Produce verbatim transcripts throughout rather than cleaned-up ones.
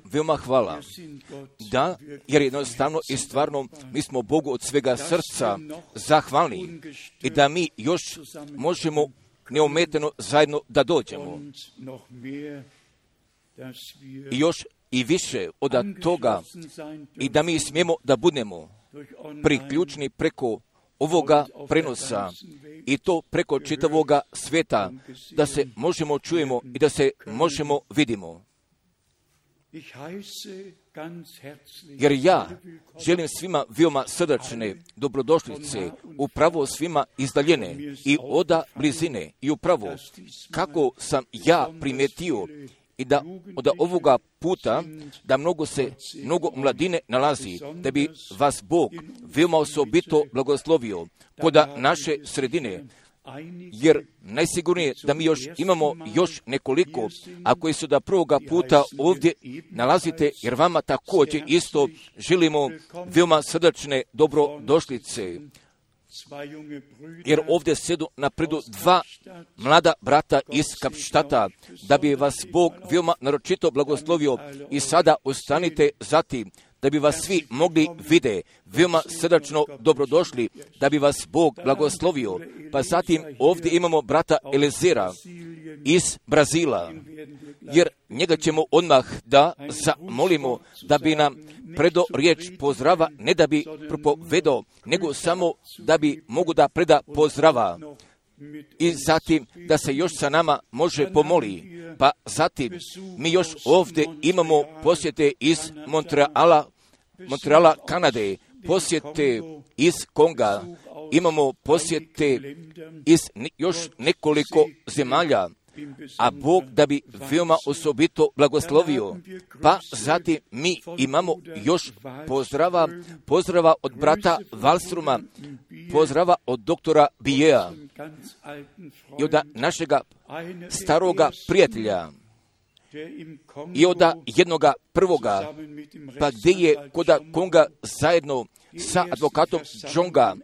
Veoma hvala. Da, jer jednostavno i stvarno mi smo Bogu od svega srca zahvalni i da mi još možemo neometeno zajedno da dođemo. I još i više od toga i da mi smijemo da budemo priključni preko ovoga prenosa i to preko čitavoga svijeta, da se možemo čujemo i da se možemo vidimo. Jer ja želim svima veoma srdačne dobrodošlice, upravo svima izdaljene i oda blizine i upravo kako sam ja primijetio i da od ovoga puta da mnogo se, mnogo mladine nalazi, da bi vas Bog veoma osobito blagoslovio kod naše sredine, jer najsigurnije da mi još imamo još nekoliko, a koji su da prvoga puta ovdje nalazite, jer vama također isto želimo veoma srdačne dobrodošlice. Jer ovdje sedu na predu dva mlada brata iz Kapštata, da bi vas Bog veoma naročito blagoslovio i sada ostanite zatim, da bi vas svi mogli vide, veoma srdačno dobrodošli, da bi vas Bog blagoslovio. Pa zatim ovdje imamo brata Elezera iz Brazila, jer njega ćemo odmah da zamolimo da bi nam predo riječ pozdrava, ne da bi propovedao, nego samo da bi mogu da preda pozdrava. I zatim da se još sa nama može pomoli. Pa zatim mi još ovdje imamo posjete iz Montreala, Montreala, Kanade, posjete iz Konga, imamo posjete iz još nekoliko zemalja, a Bog da bi veoma osobito blagoslovio. Pa zatim mi imamo još pozdrava, pozdrava od brata Valstruma, pozdrava od doktora Bijea i od našega staroga prijatelja i od jednoga prvoga, pa gdje je kod Konga zajedno sa advokatom Džonga,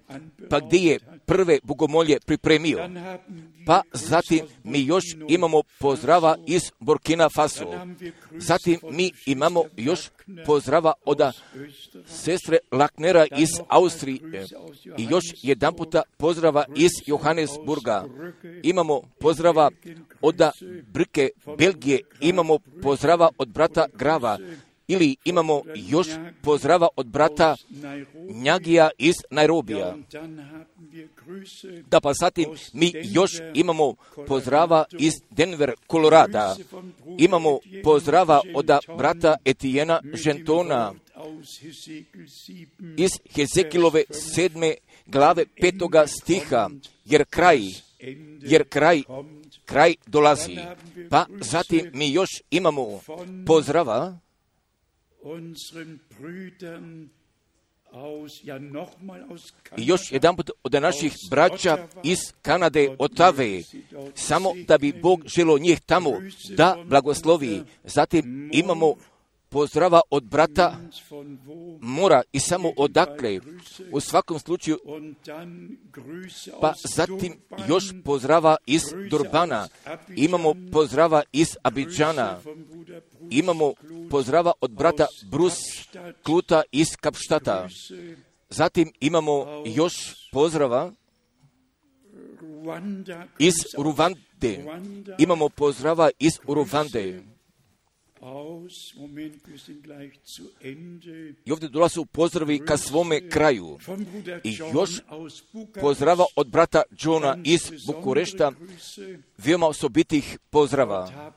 pa gdje je prve bogomolje pripremio. Pa zatim mi još imamo pozdrava iz Burkina Faso. Zatim mi imamo još pozdrava od sestre Laknera iz Austrije i još jedan puta pozdrava iz Johannesburga. Imamo pozdrava od Brke, Belgije, imamo pozdrava od brata Grava, ili imamo još pozdrava od brata Njagija iz Nairobija. Da pa zatim mi još imamo pozdrava iz Denver, Kolorada. Imamo pozdrava od brata Etijena Žentona iz Hezekilove sedme glave petoga stiha, jer kraj, jer kraj, kraj dolazi. Pa zatim mi još imamo pozdrava i još jedan put od naših braća iz Kanade, Otave, samo da bi Bog želio njih tamo da blagoslovi. Zatim imamo pozdrava od brata Mora i samo odakle, u svakom slučaju, pa zatim još pozdrava iz Durbana, imamo pozdrava iz Abidžana, imamo pozdrava od brata Brus Kluta iz Kapštata, zatim imamo još pozdrava iz Ruvande, imamo pozdrava iz Ruvande. I ovdje dolaze pozdravi ka svome kraju. I još pozdrava od brata Johna iz Bukurešta, veoma osobitih pozdrava.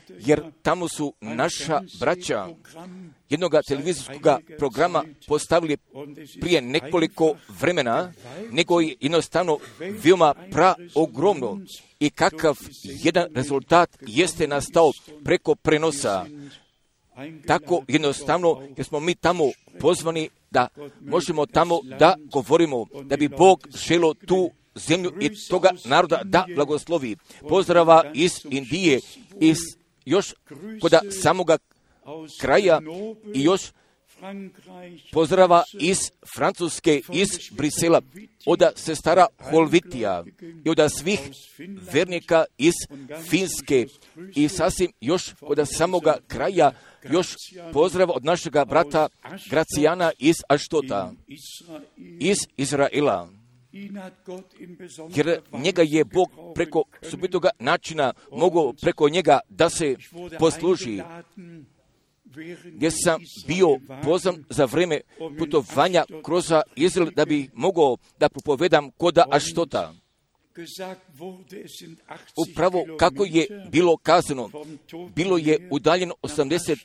Jer tamo su naša braća jednog televizijskog programa postavili prije nekoliko vremena, nego je jednostavno veoma praogromno. I kakav jedan rezultat jeste nastao preko prenosa. Tako jednostavno, jer smo mi tamo pozvani da možemo tamo da govorimo, da bi Bog želio tu zemlju i toga naroda da blagoslovi. Pozdrava iz Indije, iz još kod samoga kraja i još pozdrava iz Francuske, iz Brisela, od sestara Holvitija i od svih vernika iz Finske i sasvim još od samoga kraja još pozdrav od našega brata Gracijana iz Aštota, iz Izraela. Jer njega je Bog preko subitoga načina mogao preko njega da se posluži. Gdje sam bio pozvan za vrijeme putovanja kroz Izrael da bi mogao da propovedam koda Aštota. Upravo kako je bilo kazano, bilo je udaljeno osamdeset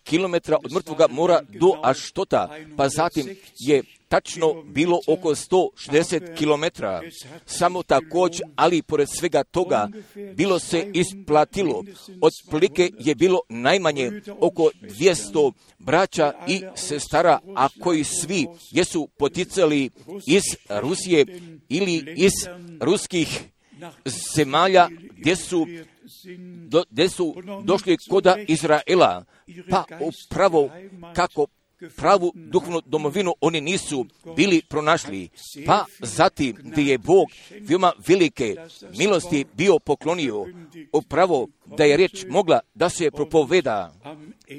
kilometara od mrtvoga mora do Aštota, pa zatim je tačno bilo oko sto šezdeset kilometara. Samo također, ali pored svega toga, bilo se isplatilo. Otprilike je bilo najmanje oko dvjesto braća i sestara, a koji svi jesu poticali iz Rusije ili iz ruskih zemalja gdje su, do, gdje su došli koda Izraela. Pa upravo kako pravu duhovnu domovinu oni nisu bili pronašli. Pa zatim gdje je Bog veoma velike milosti bio poklonio, upravo da je riječ mogla da se propoveda.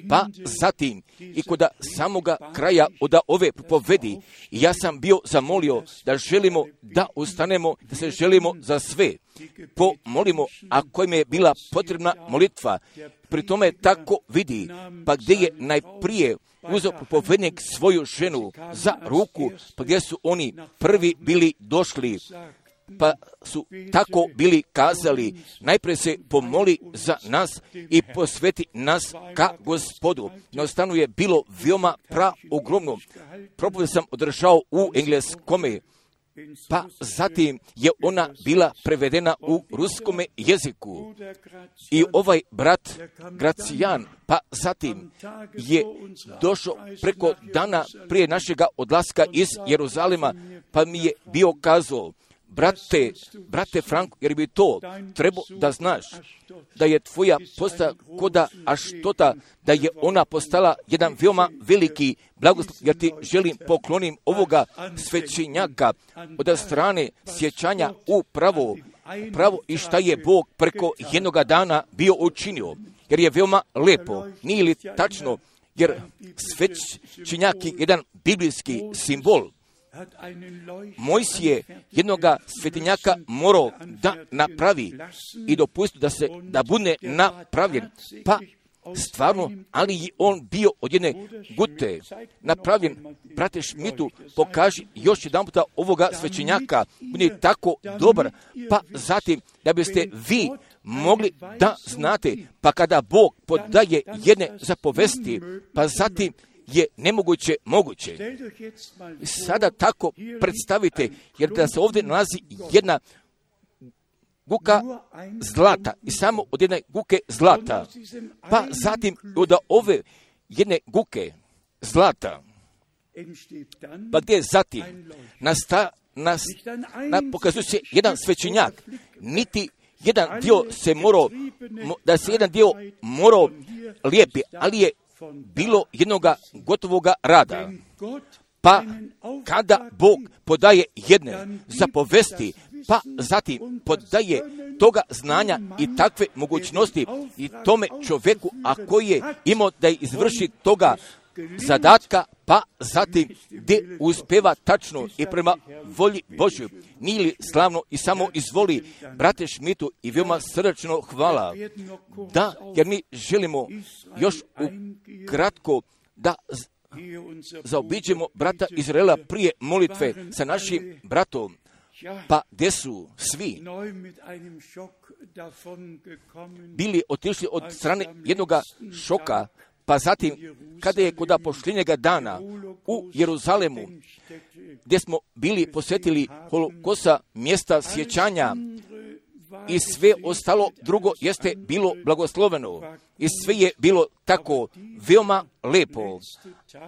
Pa zatim i kod samoga kraja od ove propovedi ja sam bio zamolio da želimo da ustanemo, da se želimo za sve. Pomolimo, ako im je bila potrebna molitva, pri tome tako vidi, pa gdje je najprije uzeo propovednik svoju ženu za ruku, pa gdje su oni prvi bili došli, pa su tako bili kazali, najprije se pomoli za nas i posveti nas ka Gospodu. Jednostavno je bilo veoma pra ogromno. Propoved sam održao u engleskome, pa zatim je ona bila prevedena u ruskome jeziku. I ovaj brat Gracijan, pa zatim je došao preko dana prije našega odlaska iz Jeruzalema, pa mi je bio kazao, brate, brate Franko, jer bi to trebao da znaš, da je tvoja posta koda Aštota, da je ona postala jedan veoma veliki blagoslov, jer ti želim poklonim ovoga svećenjaka od strane sjećanja upravo, pravo i šta je Bog preko jednoga dana bio učinio, jer je veoma lepo, nije li tačno, jer svećenjak je jedan biblijski simbol. Mojsije jednoga svetinjaka morao da napravi i dopusti da se da bude napravljen. Pa stvarno, ali je on bio od jedne gute napravljen. Brate Šmitu, pokaži još jedan puta ovoga svećenjaka. On je tako dobar. Pa zatim, da biste vi mogli da znate, pa kada Bog podaje jedne zapovesti, pa zatim je nemoguće moguće. Sada tako predstavite, jer da se ovdje nalazi jedna guka zlata i samo od jedne guke zlata, pa zatim od ove jedne guke zlata, pa gdje zatim nasta, nas, na, pokazuje se jedan svećenjak, niti jedan dio se morao, da se jedan dio morao lijepi, ali je bilo jednoga gotovoga rada. Pa kada Bog podaje jedne zapovesti, pa zatim podaje toga znanja i takve mogućnosti i tome čovjeku, a koji je imao da izvrši toga zadatka, pa zatim gdje uspeva tačno i prema volji Božju. Nije li slavno i samo izvoli, brate Šmitu, i veoma srdačno hvala. Da, jer mi želimo još ukratko da zaobiđemo brata Izraela prije molitve sa našim bratom. Pa gdje su svi bili otišli od strane jednog šoka, pa zatim kada je kod posljednjega dana u Jeruzalemu, gdje smo bili posjetili Holokosta, mjesta sjećanja, i sve ostalo drugo jeste bilo blagosloveno i sve je bilo tako veoma lepo,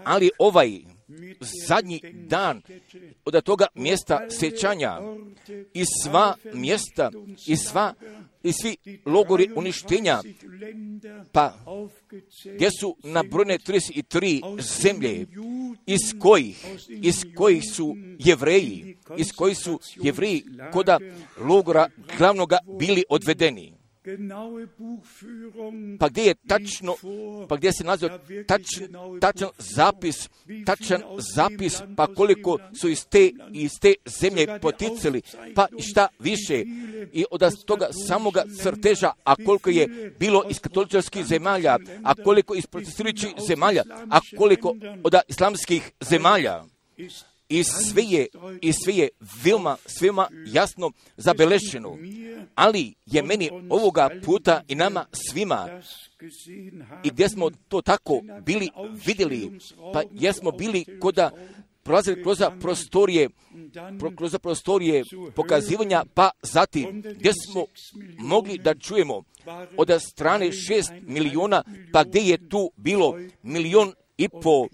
ali ovaj zadnji dan od toga mjesta sjećanja i sva mjesta i sva i svi logori uništenja, pa gdje su nabrojene trideset tri zemlje, iz kojih, iz kojih su Jevreji, iz kojih su Jevreji koda logora glavnoga bili odvedeni. Pa gdje je tačno, pa gdje se nalazi tačan, tačan zapis, tačan zapis, pa koliko su iz te, iz te zemlje poticali, pa šta više, i od toga samoga crteža, a koliko je bilo iz katoličkih zemalja, a koliko iz protestirajućih zemalja, a koliko od islamskih zemalja. I sve je, i sve je veoma, veoma jasno zabelešeno, ali je meni ovoga puta i nama svima, i gdje smo to tako bili vidjeli, pa jesmo bili koda prolazili kroz prostorije, pro, kroz prostorije pokazivanja, pa zatim gdje smo mogli da čujemo od strane šest miliona, pa gdje je tu bilo milion i po,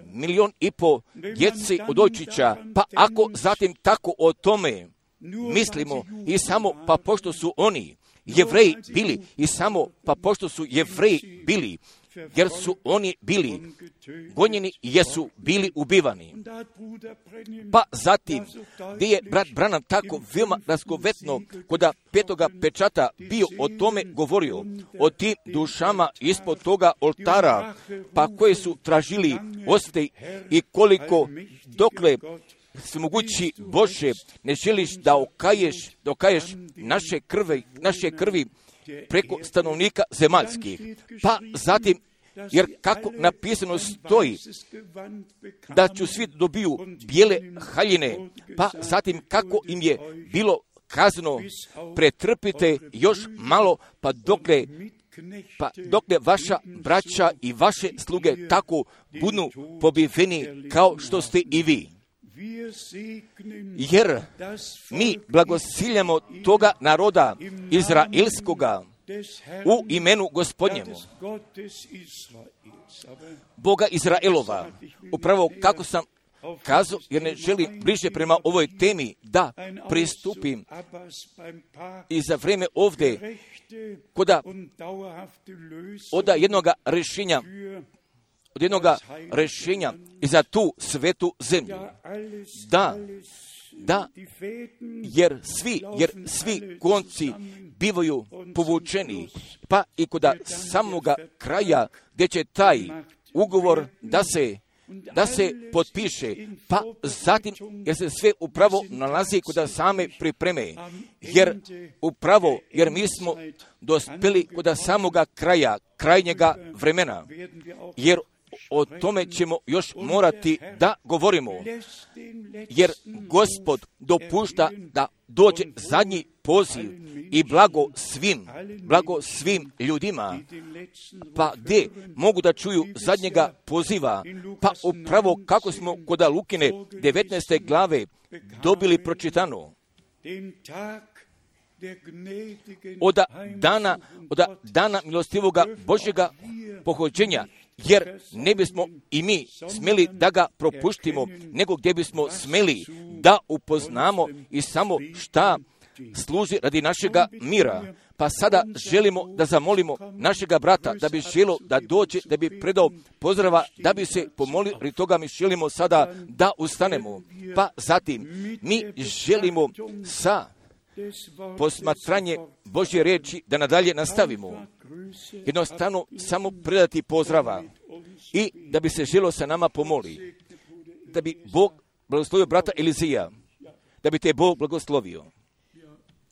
milion i po djece od dojčića, pa ako zatim tako o tome mislimo i samo pa pošto su oni Jevreji bili i samo pa pošto su Jevreji bili, jer su oni bili gonjeni i jesu bili ubivani. Pa zatim, gdje je brat Branham tako veoma razgovetno koda petoga pečata bio o tome govorio, o tim dušama ispod toga oltara, pa koje su tražili osvete i koliko dokle svemogući Bože ne želiš da okaješ, da okaješ naše krvi, naše krvi preko stanovnika zemaljskih. Pa zatim, jer kako napisano stoji da ću svi dobiju bijele haljine, pa zatim kako im je bilo kazano, pretrpite još malo, pa dokle Pa dokle vaša braća i vaše sluge tako budu pobiveni kao što ste i vi. Jer mi blagosiljamo toga naroda izraelskoga u imenu Gospodnjemu, Boga Izraelova. Upravo kako sam kazao, jer ne želim bliže prema ovoj temi da pristupim i za vrijeme ovdje koda od jednoga rješenja od jednoga rješenja i za tu svetu zemlju. Da, da, jer svi, jer svi konci bivaju povučeni, pa i kod samoga kraja gdje će taj ugovor da se da se potpiše, pa zatim jer se sve upravo nalazi kod same pripreme, jer upravo, jer mi smo dospjeli kod samoga kraja, krajnjega vremena, jer o tome ćemo još morati da govorimo, jer Gospod dopušta da dođe zadnji poziv i blago svim, blago svim ljudima, pa gdje mogu da čuju zadnjega poziva, pa upravo kako smo kod Lukine devetnaeste glave dobili pročitano, od dana, od dana milostivoga Božjega pohođenja, jer ne bismo i mi smjeli da ga propuštimo, nego gdje bismo smjeli da upoznamo i samo šta služi radi našega mira. Pa sada želimo da zamolimo našega brata da bi želio da dođe, da bi predao pozdrava, da bi se pomolio, radi toga mi želimo sada da ustanemo. Pa zatim mi želimo sa posmatranje Božje riječi da nadalje nastavimo. Jednostavno samo predati pozdrava i da bi se želio sa nama pomoli. Da bi Bog blagoslovio brata Elizija. Da bi te Bog blagoslovio.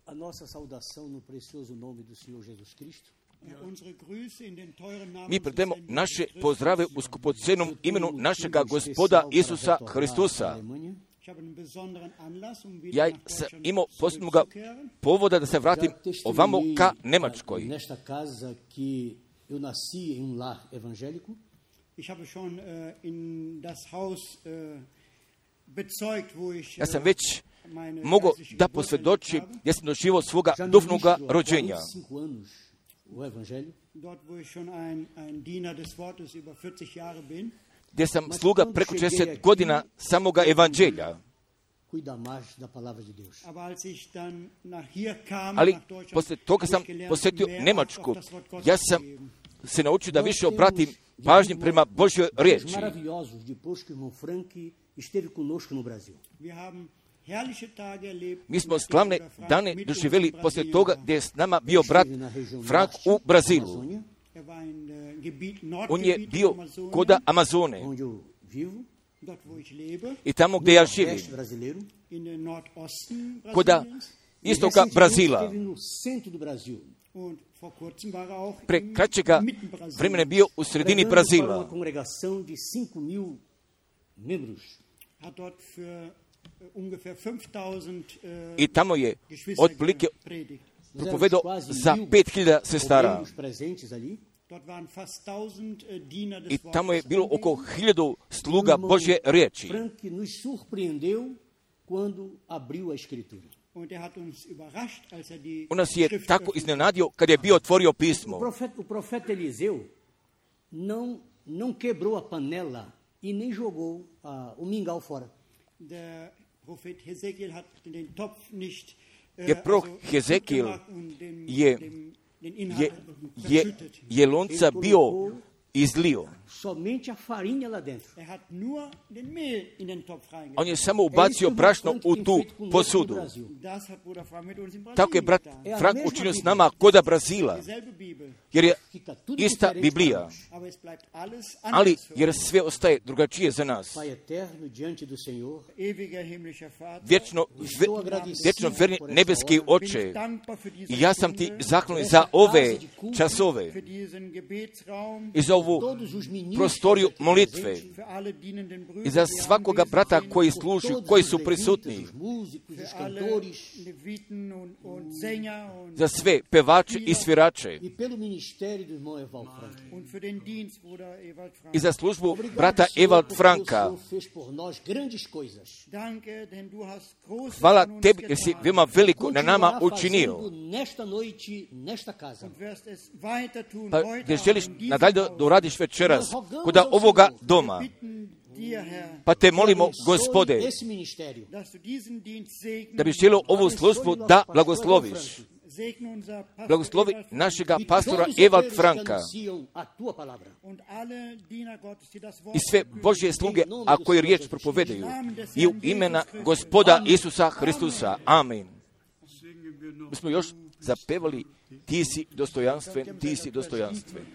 A nossa saudação no precioso nome do Senhor Jesus Cristo. Mi predajemo naše pozdrave u skupocenom imenu našega Gospoda Isusa Hristusa. Ja sam imao posebnog povoda da se vratim ovamo ka Nemačkoj. Nesta casa que eu nasci em um lar evangélico. Ich habe schon in das Haus bezeugt, wo ich Ja sam već mogu da posvjedoči gdje sam doživio svoga duhovnoga rođenja. Gdje sam sluga preko četrdeset godina samoga evanđelja. Ali poslije toga sam posjetio Njemačku. Ja sam se naučio da više obratim pažnju prema Božjoj riječi. Mi smo slavne dane doživjeli poslije toga gdje je s nama bio brat Frank u Brazilu. On je bio koda Amazone. I tamo gdje ja živim, koda istoka Brazila. Pre kraćega vremena je bio u sredini Brazila. I tamo je otprilike propovedao za pet hiljada sestara. I tamo je bilo oko hiljadu sluga Božje riječi. On nas je tako iznenadio kad je bio otvorio pismo. O profeta Eliseu não não quebrou a panela e nem jogou o mingau fora. Jer prorok Hezekiel je je, je, je lonca bio izlio. On je samo ubacio brašno u tu posudu. Tako je brat Frank učinio s nama koda Brazila. Jer je ista Biblija. Ali jer sve ostaje drugačije za nas. Vječno, vječno verni nebeski Oče, i ja sam ti zahvalan za ove časove i za ovu prostoriju molitve i za svakoga brata koji služi, koji su prisutni, za sve pevače i svirače i za službu brata Ewald Franka. Hvala tebi jer si veoma veliko na nama učinio. Pa gdje želiš nadalje da uradiš večeras kod ovoga doma. Pa te molimo, Gospode, da bi želio ovu službu da blagosloviš. Blagoslovi našega pastora Ewald Franka i sve Božje sluge, a koji riječ propovedaju, i u imena Gospoda Isusa Hristusa. Amen. Mi smo još zapevali ti si dostojanstven, ti si dostojanstven.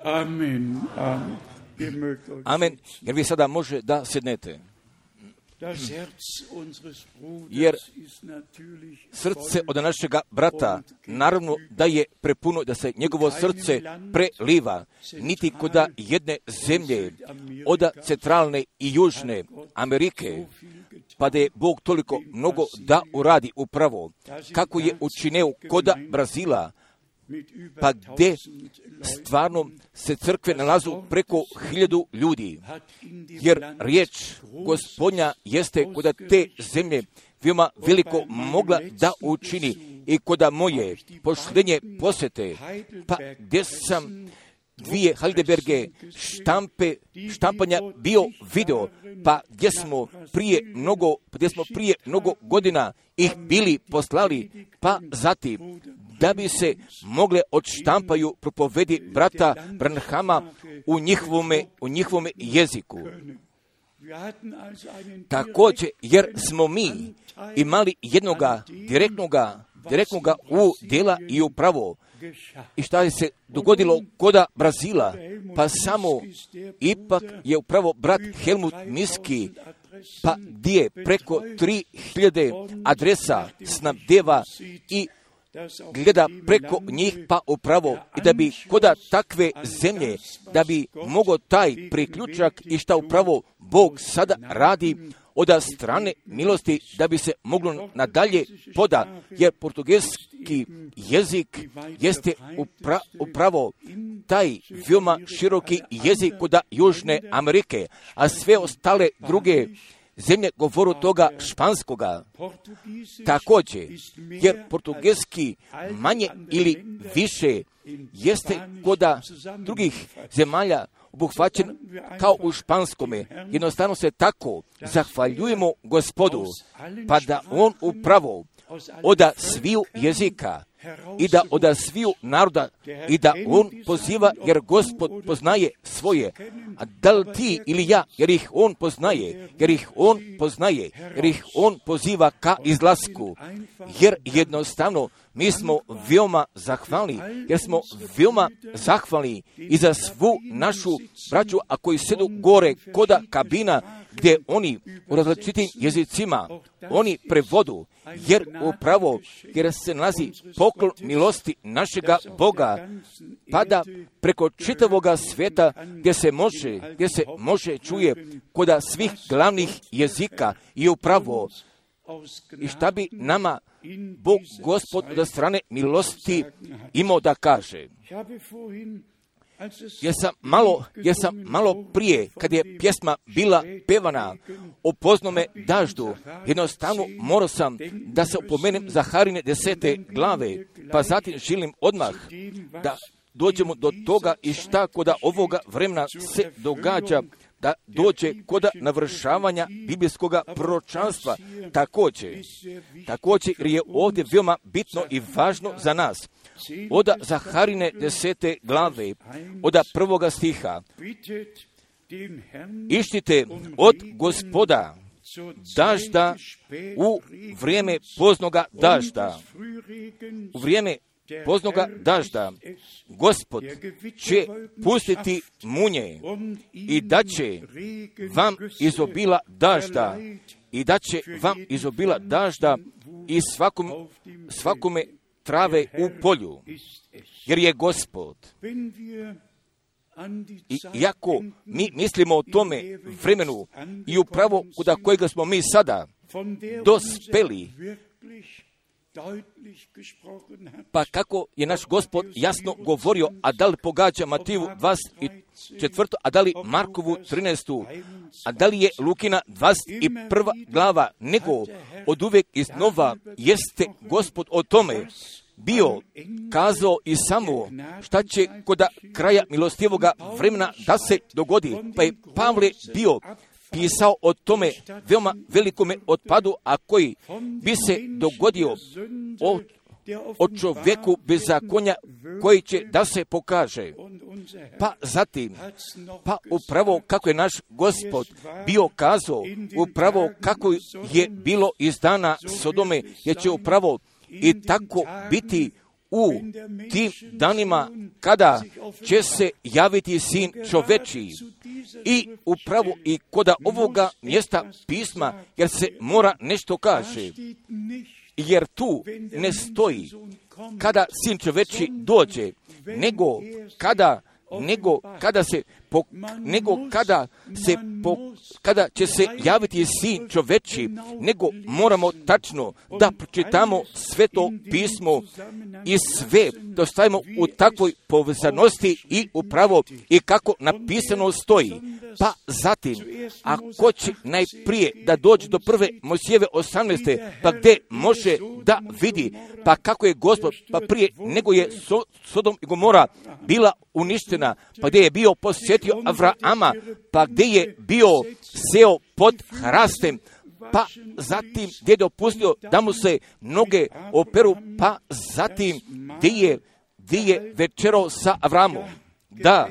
Amen. Amen. Jer vi sada može da sednete. Jer srce od našega brata, naravno da je prepuno, da se njegovo srce preliva, niti koda jedne zemlje, od centralne i južne Amerike, pa da je Bog toliko mnogo da uradi upravo, kako je učinio koda Brazila, pa gdje stvarno se crkve nalazu preko hiljadu ljudi. Jer riječ Gospodnja jeste koda te zemlje veoma veliko mogla da učini i koda moje poštenje posjete, pa gdje sam dvije Heidelberge štampe, štampanja bio video, pa gdje smo prije mnogo, gdje smo prije mnogo godina ih bili poslali, pa zatim da bi se mogle odštampaju propovedi brata Branhama u njihovome, u njihovome jeziku. Također, jer smo mi imali jednoga direktnoga, direktnoga u djela i upravo. I šta je se dogodilo koda Brazila? Pa samo ipak je upravo brat Helmut Miski, pa gdje preko tri hiljade adresa snabdeva i gleda preko njih, pa upravo i da bi koda takve zemlje, da bi mogao taj priključak i šta upravo Bog sada radi od strane milosti, da bi se moglo nadalje poda, jer portugalski jezik jeste upra, upravo taj veoma široki jezik koda Južne Amerike, a sve ostale druge zemlje govoru toga španskoga. Također, jer portugalski manje ili više jeste koda drugih zemalja obuhvaćen kao u španskome. Jednostavno se tako zahvaljujemo Gospodu, pa da On upravo od sviju jezika i da od sviju naroda i da On poziva, jer Gospod poznaje svoje. A da li ti ili ja, jer ih On poznaje, jer ih On poznaje, jer ih On poziva ka izlasku. Jer jednostavno mi smo veoma zahvalni, jer smo veoma zahvalni i za svu našu braću, a koji sedu gore koda kabina, gdje oni u različitim jezicima, oni prevodu, jer upravo, jer se nalazi poklon milosti našega Boga, pada preko čitavoga svijeta, gdje se može, gdje se može čuje koda svih glavnih jezika i upravo, i šta bi nama Bog Gospod od strane milosti imao da kaže. Jer sam malo, jer sam malo prije, kad je pjesma bila pevana o poznome daždu, jednostavno morao sam da se opomenem Zaharine desete glave, pa zatim želim odmah da dođemo do toga i šta koda ovoga vremena se događa, da dođe koda navršavanja biblijskoga proročanstva. Također, također jer je ovdje veoma bitno i važno za nas. Od Zaharine desete glave, od prvoga stiha. Ištite od Gospoda dažda u vrijeme poznoga dažda. U vrijeme poznoga dažda Gospod će pustiti munje i da će vam izobila dažda i da će vam izobila dažda i svakom, svakome trave u polju, jer je Gospod. I iako mi mislimo o tome vremenu i upravo kuda kojega smo mi sada dospeli, pa kako je naš Gospod jasno govorio, a da li pogađa Matiju dvadeset četvrtu, a da li Markovu trinaestu, a da li je Lukina dvadeset prva glava, nego od uvijek iznova jeste Gospod o tome bio kazao i samo šta će kod kraja milostivoga vremena da se dogodi. Pa je Pavle bio pisao o tome veoma velikome otpadu, a koji bi se dogodio o, o čovjeku bezakonja koji će da se pokaže. Pa zatim, pa upravo kako je naš Gospod bio kazao, upravo kako je bilo iz dana Sodome, jer će upravo i tako biti u tim danima kada će se javiti sin čovečiji. I upravo i koda ovoga mjesta pisma, jer se mora nešto kaže, jer tu ne stoji kada sin čoveči dođe, nego kada, nego kada se po, nego kada, se po, kada će se javiti sin čoveči, nego moramo tačno da pročitamo sveto pismo i sve da stavimo u takvoj povezanosti i upravo i kako napisano stoji. Pa zatim, ako će najprije da dođe do prve Mojsijeve osamnaeste, pa gdje može da vidi, pa kako je Gospod, pa prije nego je so, Sodom i Gomora bila uništena, pa gdje je bio posjetio Avrama, pa gdje je bio seo pod hrastem, pa zatim gdje je dopustio da mu se noge operu, pa zatim gdje je, gdje je večerao sa Avramom. Da,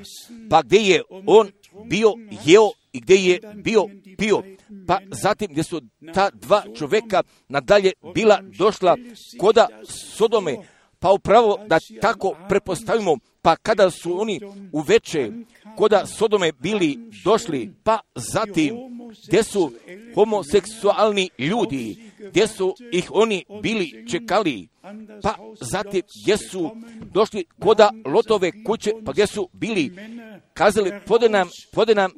pa gdje je on bio jeo i gdje je bio pio, pa zatim gdje su ta dva čovjeka nadalje bila došla koda Sodome, pa upravo da tako prepostavimo, pa kada su oni uveče koda Sodome bili došli, pa zatim gdje su homoseksualni ljudi, gdje su ih oni bili čekali, pa zatim gdje su došli koda Lotove kuće, pa gdje su bili kazali, pode nam, pode nam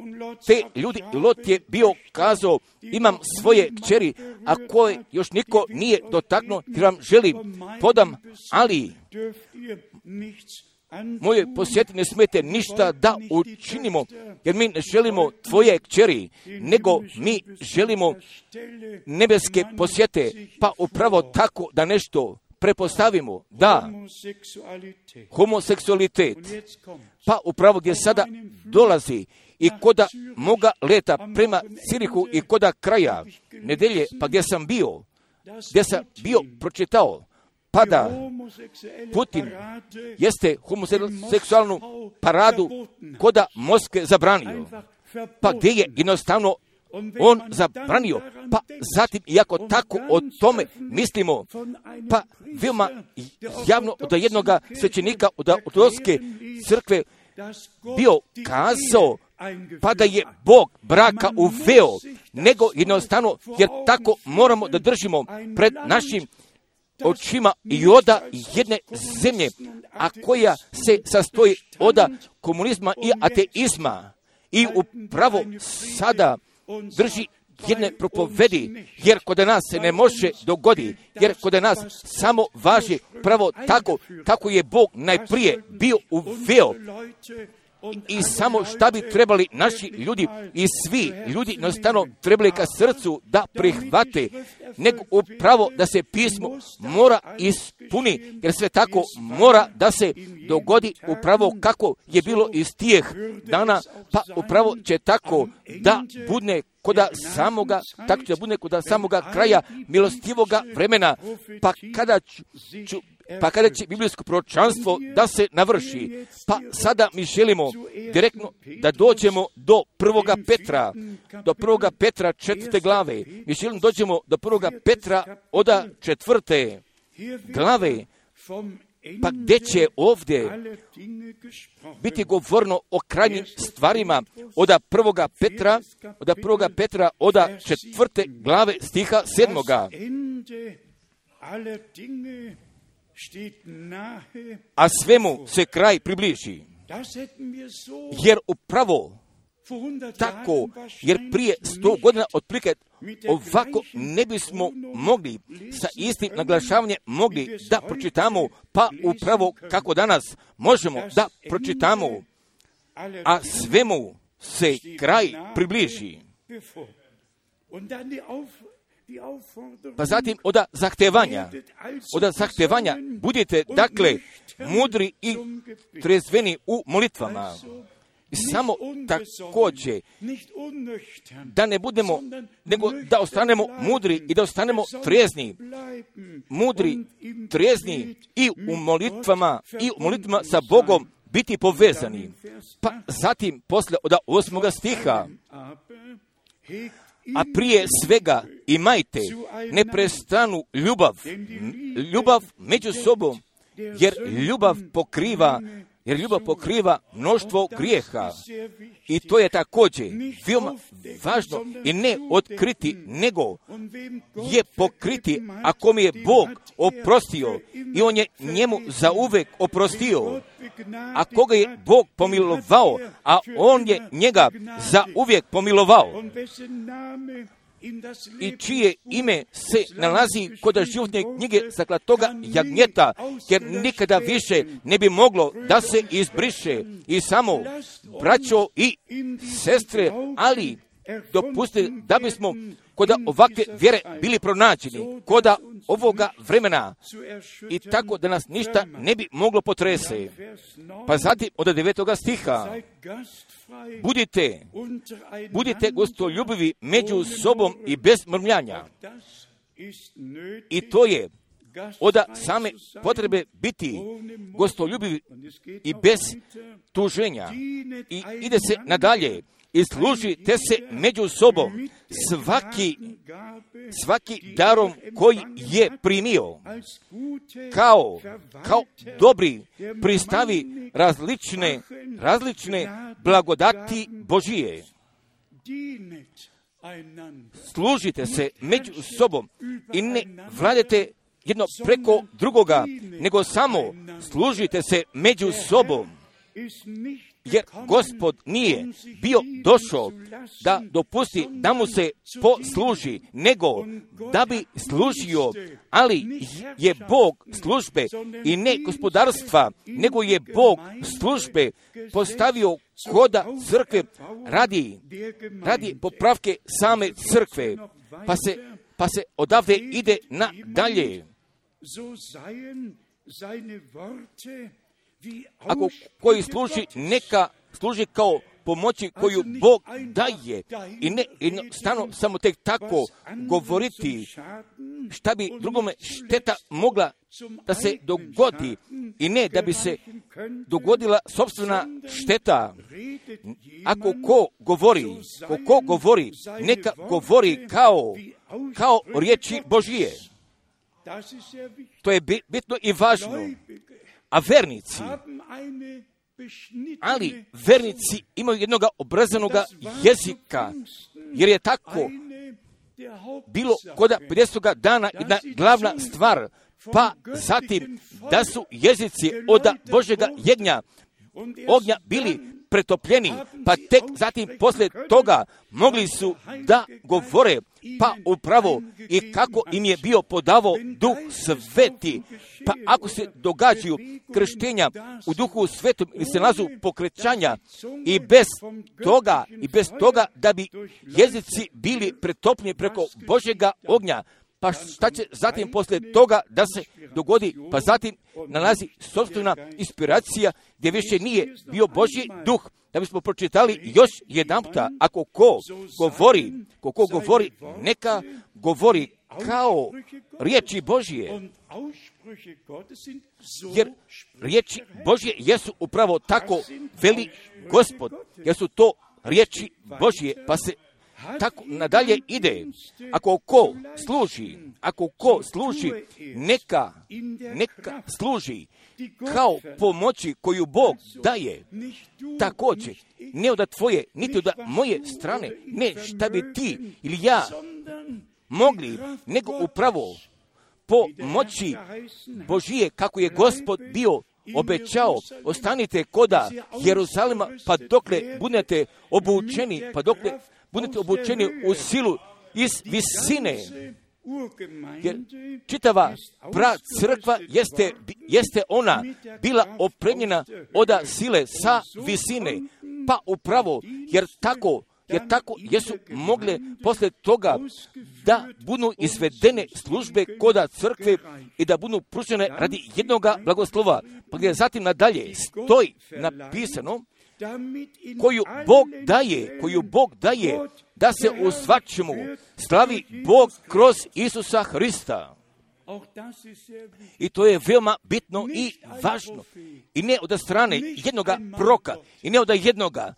te ljudi. Lot je bio kazao, imam svoje kćeri, a koje još niko nije dotaknuo, jer vam želim, podam, ali moje posjeti ne smete ništa da učinimo, jer mi ne želimo tvoje kćeri, nego mi želimo nebeske posjete, pa upravo tako da nešto prepostavimo, da, homoseksualitet, pa upravo gdje sada dolazi i koda moga leta prema Cirihu i koda kraja nedelje, pa gdje sam bio, gdje sam bio pročitao, pa da Putin jeste homoseksualnu paradu koda Moskve zabranio, pa gdje je jednostavno on zabranio, pa zatim, iako tako o tome mislimo, pa veoma javno od jednoga svećenika od ortodokske crkve bio kazao, pa da je Bog braka uveo, nego jednostavno, jer tako moramo da držimo pred našim očima i oda jedne zemlje, a koja se sastoji od komunizma i ateizma, i upravo sada drži jedne propovedi, jer kod nas se ne može dogodi, jer kod nas samo važi pravo tako kako je Bog najprije bio uveo. I samo šta bi trebali naši ljudi i svi ljudi jednostavno trebali ka srcu da prihvate, nego upravo da se pismo mora ispuni, jer sve tako mora da se dogodi upravo kako je bilo iz tijeh dana, pa upravo će tako da bude koda samoga, tako će da bude koda samoga kraja milostivoga vremena, pa kada ću, ću pa kada će biblijsko proročanstvo da se navrši. Pa sada mi želimo direktno da dođemo do prvoga Petra, do prvoga Petra četvrte glave. Mi želimo dođemo do prvoga Petra oda četvrte glave, pa gdje će ovdje biti govorno o krajnjim stvarima oda prvoga Petra, oda prvoga Petra oda četvrte glave stiha sedmoga. A svemu se kraj približi, jer upravo tako, jer prije sto godina otprilike ovako ne bismo mogli sa istim naglašavanjem mogli da pročitamo, pa upravo kako danas možemo da pročitamo, a svemu se kraj približi. Pa zatim oda zahtevanja, oda zahtevanja, budite dakle mudri i trezveni u molitvama. I samo također da ne budemo, nego da ostanemo mudri i da ostanemo trezni, mudri, trezni i u molitvama i u molitvama sa Bogom biti povezani. Pa zatim posle od osmoga stiha, a prije svega imajte neprestanu ljubav, ljubav među sobom, jer ljubav pokriva jer ljubav pokriva mnoštvo grijeha. I to je također veoma važno i ne otkriti, nego je pokriti, ako mi je Bog oprostio i on je njemu zauvek oprostio. A koga je Bog pomilovao, a on je njega zauvijek pomilovao. I čije ime se nalazi kod životne knjige zaklatoga jagnjeta, jer nikada više ne bi moglo da se izbriše. I samo, braćo i sestre, ali dopustite da bismo kod ovakve vjere bili pronađeni, kod ovoga vremena, i tako da nas ništa ne bi moglo potrese. Pa zatim od devetoga stiha, budite, budite gostoljubivi među sobom i bez mrmljanja. I to je od same potrebe biti gostoljubivi i bez tuženja. I ide se nadalje. I služite se među sobom svaki, svaki darom koji je primio, kao, kao dobri pristavi različne, različne blagodati Božije. Služite se među sobom i ne vladete jedno preko drugoga, nego samo služite se među sobom. Jer Gospod nije bio došao da dopusti da mu se posluži, nego da bi služio, ali je Bog službe i ne gospodarstva, nego je Bog službe postavio koda crkve radi, radi popravke same crkve, pa se, pa se odavde ide na dalje. Ako koji služi, neka služi kao pomoći koju Bog daje i ne jednostavno samo tek tako govoriti šta bi drugome šteta mogla da se dogodi i ne da bi se dogodila sopstvena šteta. Ako ko govori, ko, ko govori, neka govori kao, kao riječi Božije. To je bitno i važno. A vernici, ali vernici imaju jednog obrazanog jezika, jer je tako bilo kod pedesetoga dana jedna glavna stvar, pa zatim da su jezici od Božjega jegnja, ognja bili pretopljeni, pa tek zatim poslije toga mogli su da govore, pa upravo i kako im je bio podavo Duh Sveti. Pa ako se događaju krštenja u Duhu Svetom ili se nalazu pokrećanja i bez toga, i bez toga da bi jezici bili pretopljeni preko Božjega ognja, pa šta će zatim poslije toga da se dogodi? Pa zatim nalazi sopstvena inspiracija gdje više nije bio Božji duh. Da bismo pročitali još jedanputa, ako ko govori, ko ko govori, neka govori kao riječi Božje. Jer riječi Božje jesu upravo tako, veli Gospod, jer su to riječi Božje, pa se tako nadalje ide. Ako ko služi, ako ko služi, neka, neka služi kao pomoći koju Bog daje. Također, ne od tvoje, niti od moje strane, ne šta bi ti ili ja mogli, nego upravo po moći Božije, kako je Gospod bio obećao, ostanite koda Jeruzalema, pa dokle budete obučeni, pa dokle budete obučeni u silu iz visine. Jer čitava pra crkva jeste, jeste ona bila opremljena od sile sa visine, pa upravo, jer tako, jer tako jesu mogle poslije toga da budu izvedene službe koda crkve i da budu pružene radi jednoga blagoslova. Pa gdje zatim nadalje stoji napisano koju Bog daje, koju Bog daje da se u svačemu slavi Bog kroz Isusa Hrista. I to je veoma bitno i važno. I ne od strane jednoga proka, i ne od jednoga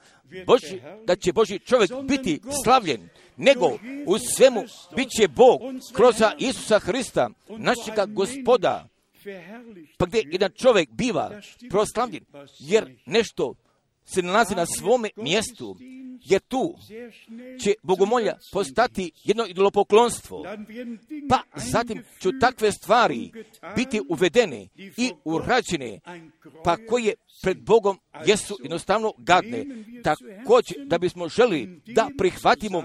Boži, da će Božji čovjek biti slavljen, nego u svemu bit će Bog kroz Isusa Hrista, našega Gospoda. pa gdje jedan čovjek biva proslavljen, jer nešto se nalazi na svome mjestu, jer tu će bogomolja postati jedno idolopoklonstvo, pa zatim će takve stvari biti uvedene i urađene, pa koje pred Bogom jesu jednostavno gadne. Također, da bismo želi da prihvatimo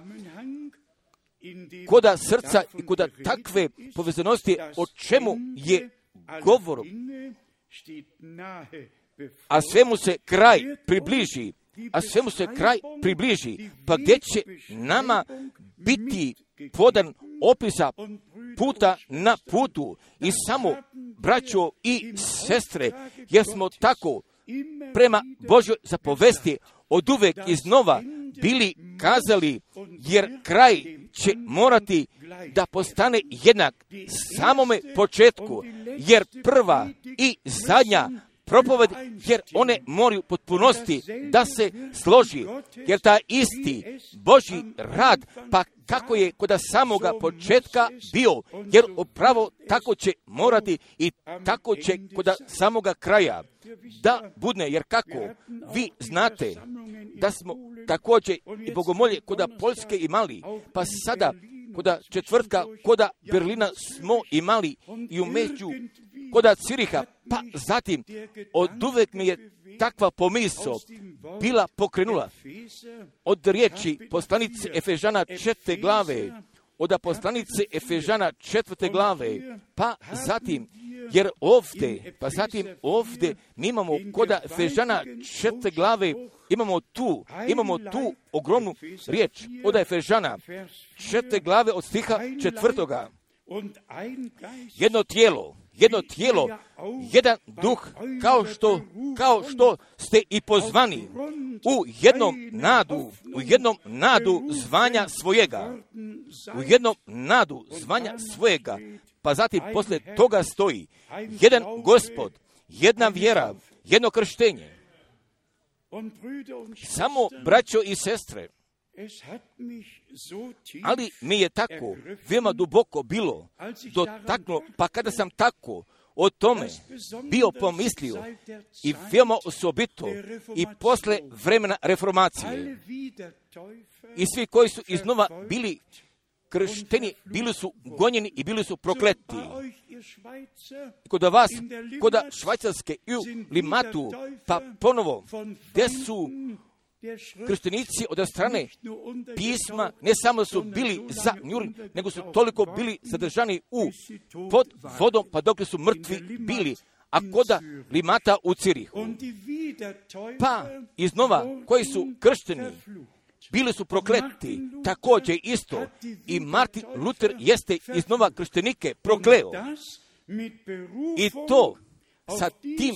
koda srca i koda takve povezanosti o čemu je govor, a svemu se kraj približi, a svemu se kraj približi, pa gdje će nama biti podan opisa puta na putu i samo braćo i sestre, jer smo tako prema Božjoj zapovesti od uvek iznova bili kazali, jer kraj će morati da postane jednak samome početku, jer prva i zadnja propoved, jer one moraju potpunosti da se složi, jer ta isti Božji rad, pa kako je kod samoga početka bio, jer upravo tako će morati i tako će kod samoga kraja da budne, jer kako vi znate da smo također i bogomolje kod Poljske imali, pa sada kod četvrtka kod Berlina smo imali i umeđu kod Ciriha, pa zatim od uvek mi je takva pomisao bila pokrenula od riječi poslanice Efežana četvrte glave, od poslanice Efežana četvrte glave, pa zatim, jer ovdje, pa zatim ovdje mi imamo kod Efežana četvrte glave, imamo tu, imamo tu ogromnu riječ od Efežana četvrte glave od stiha četvrtoga. Jedno tijelo, jedno tijelo, jedan duh, kao što, kao što ste i pozvani u jednom nadu, u jednom nadu zvanja svojega, u jednom nadu zvanja svojega, pa zatim poslije toga stoji jedan Gospod, jedna vjera, jedno krštenje. Samo braćo i sestre, ali mi je tako veoma duboko bilo dotaknulo, pa kada sam tako o tome bio pomislio i veoma osobito i posle vremena reformacije, i svi koji su iznova bili kršteni, bili su gonjeni i bili su prokleti. Kod vas, kod Švajcarske i u Limatu, pa ponovo, gdje su krštenici od strane pisma ne samo su bili za njuri, nego su toliko bili zadržani u pod vodom, pa dok su mrtvi bili, a koda Limata u Cirihu. Pa iznova koji su kršteni bili su prokleti, također isto i Martin Luther jeste iznova krštenike prokleo. I to sa tim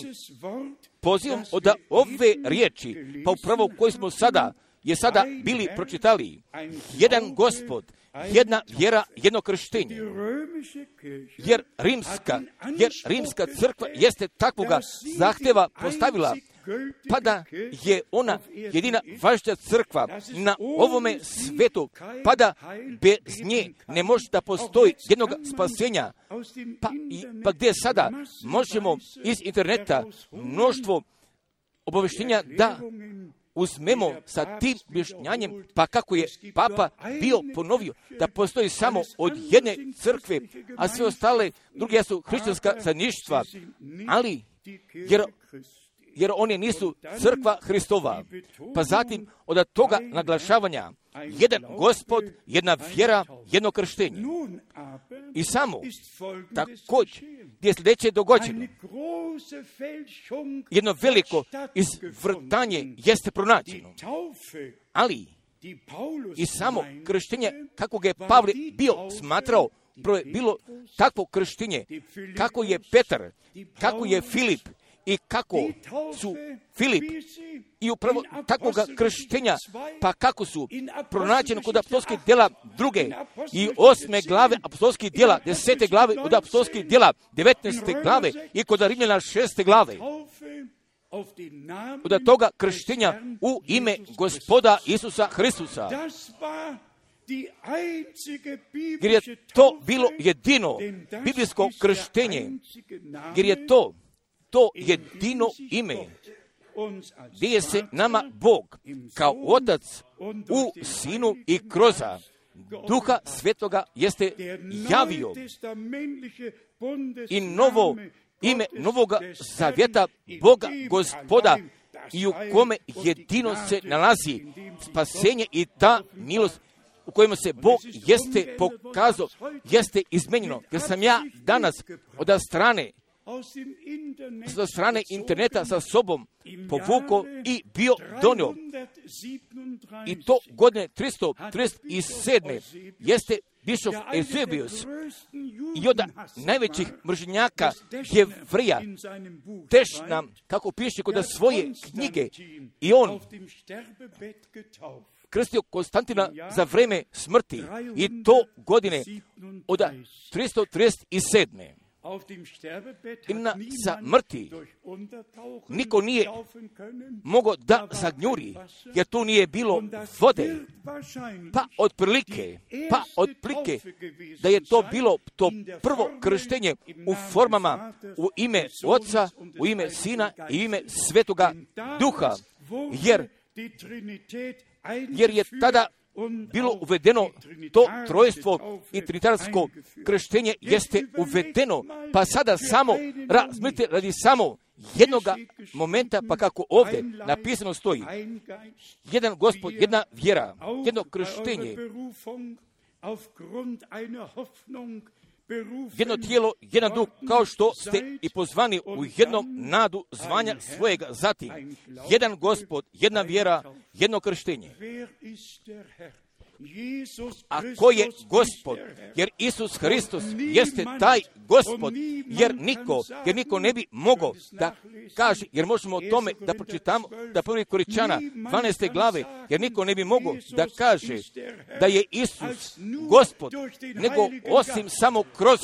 pozivom od ove riječi, pa upravo koji smo sada, je sada bili pročitali, jedan Gospod, jedna vjera, jedno krštenje. Jer rimska, jer rimska crkva jeste takvoga zahtjeva postavila, pa da je ona jedina važna crkva na ovome svetu, pa da bez nje ne može da postoji jednog spasenja, pa, i, pa gdje sada možemo iz interneta mnoštvo obavještenja da uzmemo sa tim objašnjanjem, pa kako je Papa bio ponovio da postoji samo od jedne crkve, a sve ostale druge su hrišćanska zajedništva, ali jer jer oni nisu crkva Hristova. Pa zatim od toga naglašavanja jedan Gospod, jedna vjera, jedno krštenje. I samo također gdje je sljedeće dogođeno. Jedno veliko izvrtanje jeste pronađeno. Ali i samo krštenje kako ga je Pavle bio smatrao, prvo je bilo takvo krštenje, kako je Petar, kako je Filip, i kako su Filip i upravo takvog krštenja, pa kako su pronađeni kod apostolskih djela druge i osme glave apostolskih djela, desete glave od apostolskih djela, devetnaeste glave i kod Rimljana šeste glave. Od toga krštenja u ime Gospoda Isusa Hristusa. jer je to bilo jedino biblijsko krštenje, jer je to to jedino ime gdje je se nama Bog kao Otac u Sinu i kroz Duha Svetoga jeste javio i novo ime Novoga Zavjeta Boga Gospoda i u kome jedino se nalazi spasenje i ta milost u kojima se Bog jeste pokazao, jeste izmenjeno. Jer sam ja danas od strane sa strane interneta sa sobom povukao i bio donio. I to godine tristo trideset sedme jeste bišov Eusebius i od najvećih mržnjaka Jevrija tež nam, kako piše kod svoje knjige, i on krstio Konstantina za vreme smrti i to godine od tristo trideset sedme. I na smrti niko nije mogao da zagnjuri, jer tu nije bilo vode. Pa otprilike, pa otprilike da je to bilo to prvo krštenje u formama u ime Oca, u ime Sina i u ime Svetoga Duha, jer jer je tada bilo uvedeno to trojstvo i trinitarsko krštenje jeste uvedeno, pa sada samo razmislite radi samo jednoga momenta, pa kako ovdje napisano stoji, jedan Gospod, jedna vjera, jedno krštenje, jedno tijelo, jedan duh, kao što ste i pozvani u jednom nadu zvanja svojega, zatim jedan Gospod, jedna vjera, jedno krštenje. A ko je Gospod? Jer Isus Hristos jeste taj Gospod, jer niko, jer niko ne bi mogao da kaže, jer možemo o tome da pročitamo, da prvi Koričana dvanaeste glave, jer niko ne bi mogao da kaže da je Isus Gospod, nego osim samo kroz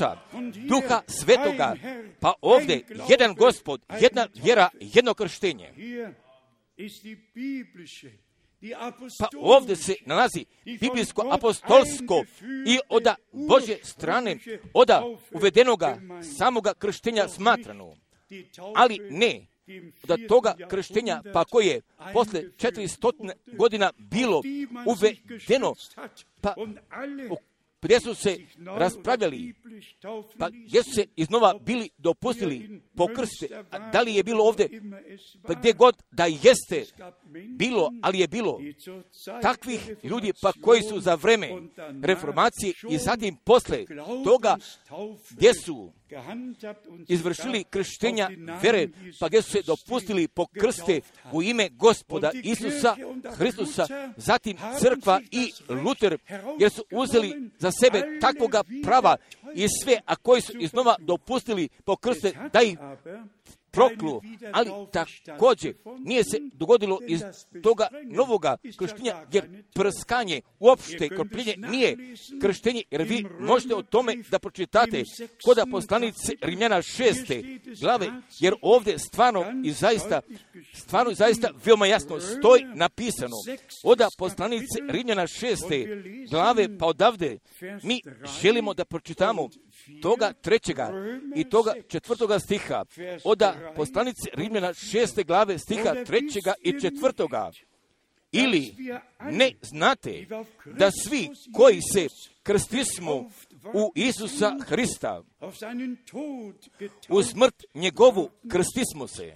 Duha Svetoga, pa ovdje jedan Gospod, jedna vjera, jedno krštenje. Pa ovdje se nalazi biblijsko-apostolsko i od Božje strane, od uvedenoga samoga krštenja smatrano, ali ne od toga krštenja, pa koje posle četiristo godina bilo uvedeno, pa gdje su se raspravljali, pa gdje su se iznova bili dopustili pokrste, da li je bilo ovdje, pa gdje god da jeste bilo, ali je bilo takvih ljudi pa koji su za vreme reformacije i zatim posle toga gdje su izvršili krštenja vere, pa gdje su se dopustili pokrste u ime Gospoda Isusa Hristusa, zatim crkva i Luter, jer su uzeli za sebe takvoga prava i sve, a koji su iznova dopustili pokrste da ih proklu, ali također nije se dogodilo iz toga novoga krštenja, jer prskanje, uopšte kropljenje nije krštenje, jer vi možete o tome da pročitate kod poslanice Rimljana šeste glave, jer ovdje stvarno i zaista, stvarno i zaista veoma jasno stoji napisano od poslanice Rimljana šeste glave, pa odavde mi želimo da pročitamo toga trećega i toga četvrtoga stiha od poslanice Rimljana šeste glave stiha trećega i četvrtoga. Ili ne znate da svi koji se krstismo u Isusa Hrista, u smrt njegovu krstismo se.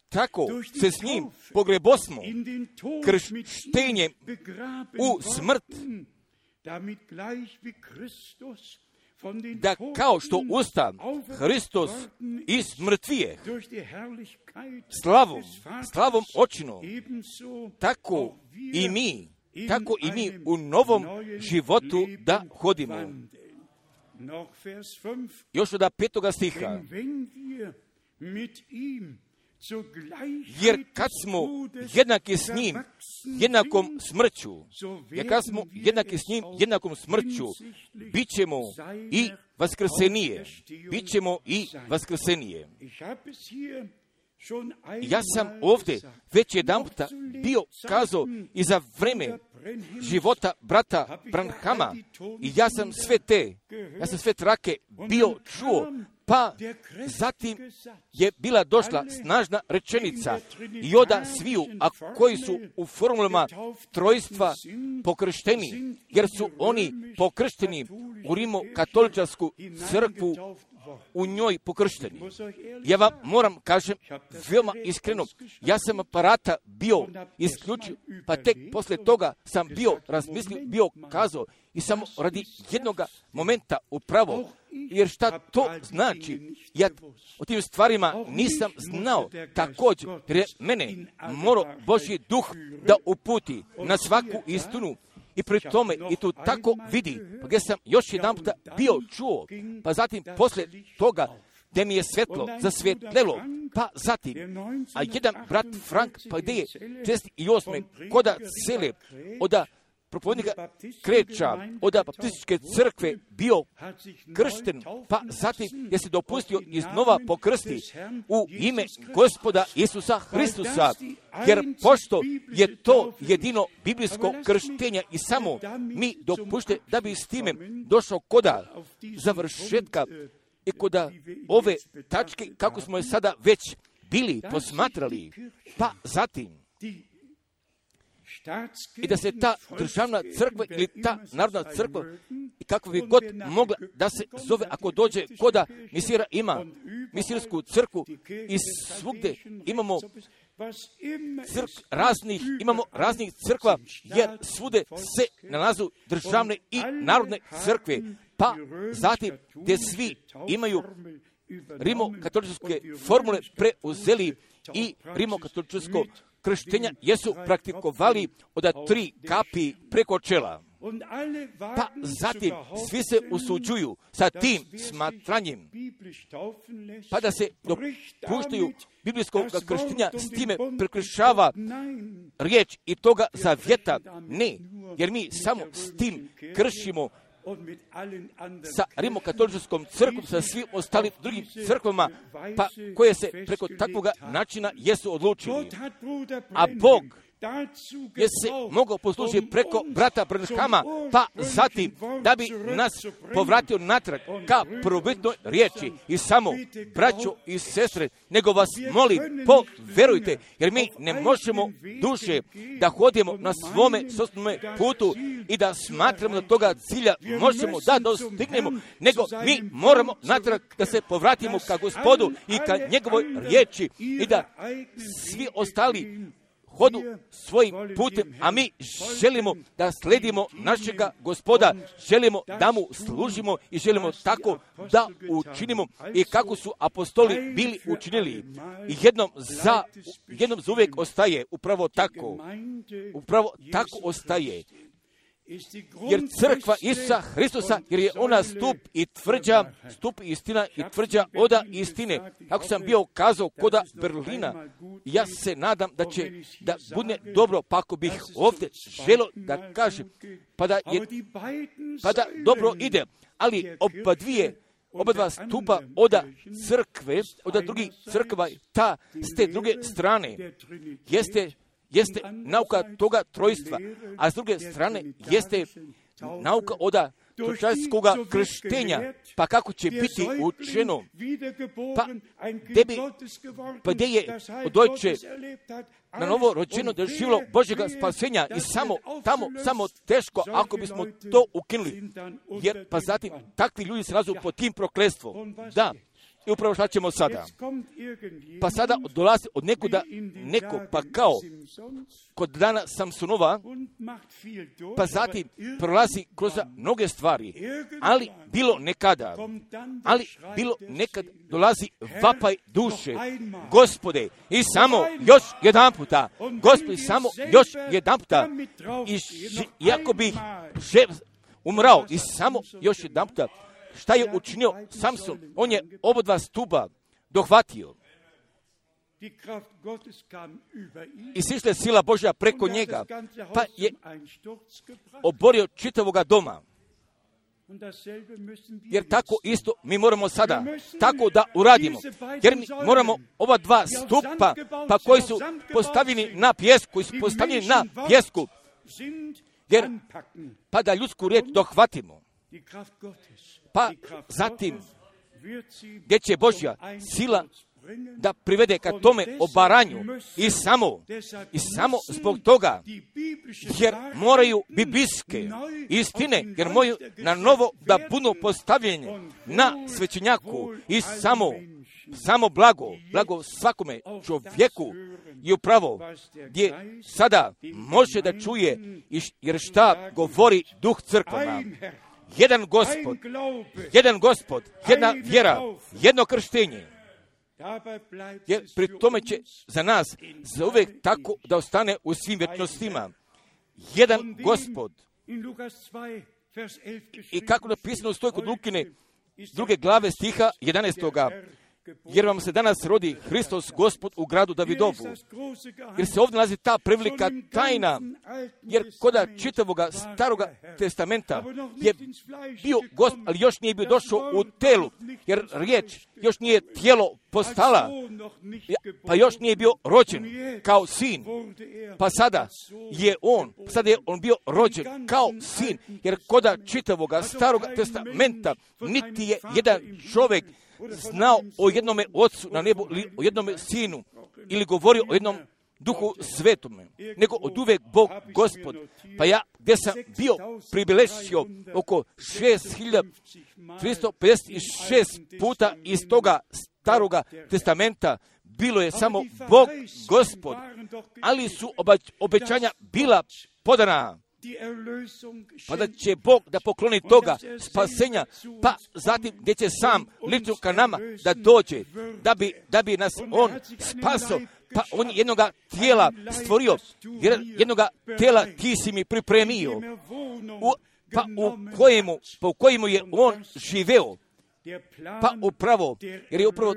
Tako se s njim pogrebosmo krštenjem u smrt, da kao što ustav Hristos iz mrtvijeh slavom, slavom očinom, tako i mi, tako i mi u novom životu da hodimo. Još od petoga stiha. Jer kad smo jednaki s njim, jednakom smrću, jer kad smo jednaki s njim, jednakom smrću, bit ćemo i vaskrsenije. Bit ćemo i vaskrsenije. Ja sam ovdje već jedan puta bio kazao i za vreme života brata Branhama i ja sam sve te, ja sam sve trake bio čuo, pa zatim je bila došla snažna rečenica i oda sviju, a koji su u formulama trojstva pokršteni, jer su oni pokršteni u Rimokatoličarsku crkvu, u njoj pokršteni. Ja vam moram kažem veoma iskreno, ja sam aparata bio isključio, pa tek posle toga sam bio razmislio, bio kazao i samo radi jednog momenta upravo, jer šta to znači? Ja o tim stvarima nisam znao također, jer je mene morao Božji duh da uputi na svaku istinu. I pri tome i tu tako vidi, pa gdje sam još jedan puta bio čuo, pa zatim posle toga gdje mi je svetlo zasvjetlelo, pa zatim, a jedan brat Frank, pa gdje je šezdeset osme koda cele, oda propovednika Kreča, oda baptističke crkve bio kršten, pa zatim je se dopustio iznova pokrsti u ime Gospoda Isusa Hristusa, jer pošto je to jedino biblijsko krštenje i samo mi dopušte da bi s time došao koda završetka i koda ove tačke, kako smo je sada već bili posmatrali, pa zatim i da se ta državna crkva ili ta narodna crkva, kako bi god mogla da se zove, ako dođe koda misira ima misirsku crkvu i svugde imamo crk raznih, imamo raznih crkva, jer svude se nalazu državne i narodne crkve, pa zatim gdje svi imaju rimokatoličke formule preuzeli i rimokatoličko krštenja jesu praktikovali od tri kapi preko čela. Pa zatim svi se usuđuju sa tim smatranjem, pa da se dopuštaju biblijskog krštenja, s time prekršava riječ i toga zavjeta. Ne, jer mi samo s tim kršimo sa rimokatoličkom crkvom, sa svim ostalim drugim crkvama, pa koje se preko takvog načina jesu odlučili. A Bog je se mogao poslužiti preko brata Branhama, pa zatim da bi nas povratio natrag ka prvobitnoj riječi. I samo, braćo i sestre, nego vas molim, poverujte, jer mi ne možemo duše da hodimo na svome sopstvenome putu i da smatramo da toga cilja možemo da dostignemo, nego mi moramo natrag da se povratimo ka Gospodu i ka njegovoj riječi i da svi ostali hodu svojim putem, a mi želimo da sledimo našega Gospoda, želimo da mu služimo i želimo tako da učinimo i kako su apostoli bili učinili. I jednom za, jednom za uvijek ostaje upravo tako, upravo tako ostaje. Jer crkva Isusa Hristusa, jer je ona stup i tvrđa, stup istina i tvrđa oda istine. Kako sam bio kazao koda Berlina, ja se nadam da će da bude dobro, pa ako bih ovdje želo da kažem, pa da, je, pa da dobro ide, ali oba dvije, oba dva stupa oda crkve, oda drugih crkva, ta s te druge strane, jeste jeste nauka toga trojstva, a s druge strane jeste nauka oda točarskoga krštenja, pa kako će biti učeno, pa gdje bi, pa gdje je dojče na novo rođeno doživjelo Božjega spasenja i samo tamo, samo teško ako bismo to ukinuli, jer pa zatim takvi ljudi se nalazu pod tim prokletstvom. Da. I upravo šta ćemo sada? Pa sada dolazi od nekuda neko, pa kao kod dana Samsonova, pa zatim prolazi kroz mnoge stvari, ali bilo nekada, ali bilo nekad dolazi vapaj duše, Gospode, i samo još jedan puta, Gospode, samo još jedan puta, i iako bih umrao, i samo još jedan puta, šta je učinio Samson? On je oba dva stuba dohvatio. I sišla je sila Božja preko njega, pa je oborio čitavoga doma. Jer tako isto mi moramo sada tako da uradimo. Jer mi moramo ova dva stupa, pa koji su postavljeni na pjesku, koji su postavljeni na pjesku, jer pa da ljudsku riječ dohvatimo, pa zatim gdje će Božja sila da privede ka tome obaranju i samo, i samo zbog toga, jer moraju biblijske istine, jer moraju na novo da budu postavljene na svećenjaku i samo, samo blago, blago svakome čovjeku i upravo gdje sada može da čuje, jer šta govori duh crkvama. Jedan Gospod, jedan Gospod, jedna vjera, jedno krštenje. Jer pri tome će za nas za uvijek tako da ostane u svim vječnostima. Jedan Gospod. I kako napisano stoji kod Lukine druge glave stiha jedanaestoga. Jer vam se danas rodi Hristos Gospod u gradu Davidovu. Jer se ovdje nalazi ta prevelika tajna. Jer koda čitavoga staroga testamenta je bio Gospod, ali još nije bio došao u telu. Jer riječ još nije tijelo postala. Pa još nije bio rođen kao sin. Pa sada je on, sada je on bio rođen kao sin. Jer koda čitavoga staroga testamenta niti je jedan čovjek znao o jednome ocu na nebu ili o jednome sinu ili govorio o jednom duhu svetome, nego od uvek Bog Gospod. Pa ja gdje sam bio pribilešio oko šest hiljada tristo pedeset šest puta iz toga staroga testamenta bilo je samo Bog Gospod, ali su obećanja bila podana. Pa da će Bog da pokloni toga spasenja, pa zatim gdje će sam lično ka nama da dođe, da bi, da bi nas on spasio, pa on je jednoga tijela stvorio, jer jednoga tijela ti si mi pripremio, u, pa u kojemu, pa u kojemu je on živeo. Pa upravo, jer je upravo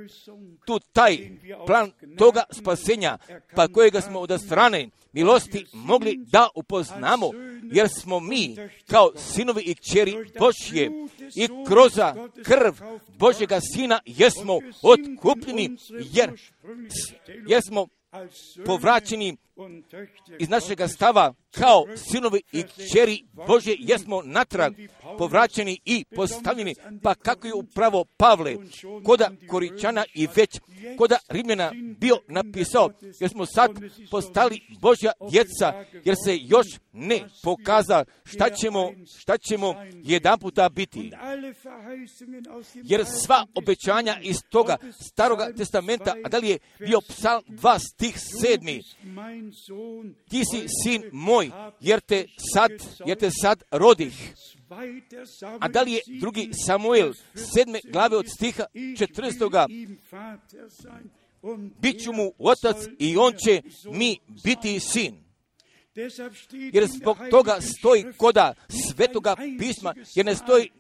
tu taj plan toga spasenja, pa kojega smo od strane milosti mogli da upoznamo, jer smo mi kao sinovi i kćeri Božje i kroz krv Božjega Sina jesmo otkupljeni, jer, jer smo povraćeni iz našega stava kao sinovi i kćeri Božje, jesmo natrag povraćeni i postavljeni, pa kako je upravo Pavle koda Koričana i već koda Rimljana bio napisao, jer smo sad postali Božja djeca, jer se još ne pokaza šta ćemo, šta ćemo jedan puta biti. Jer sva obećanja iz toga staroga testamenta, a da li je bio Psalm dva stih sedmi, ti si sin moj, jer te sad, jer te sad rodih. A da li je drugi Samuel sedme glave od stiha četrnaestoga, bit ću mu otac i on će mi biti sin. Jer zbog toga stoji koda svetoga pisma, jer ne stoji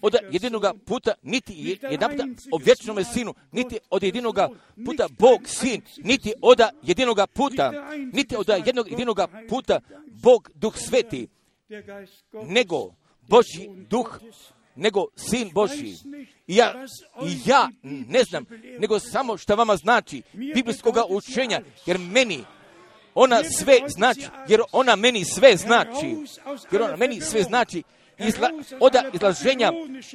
od jedinoga puta, niti jedan puta o vječnome sinu, niti od jedinoga puta Bog sin, niti od jedinoga puta, niti od jednog jedinoga puta Bog Duh Sveti, nego Božji Duh, nego Sin Božji. I ja, i ja ne znam, nego samo što vama znači biblijskoga učenja, jer meni ona sve znači, jer ona meni sve znači, jer ona meni sve znači, Izla, od izlaženja,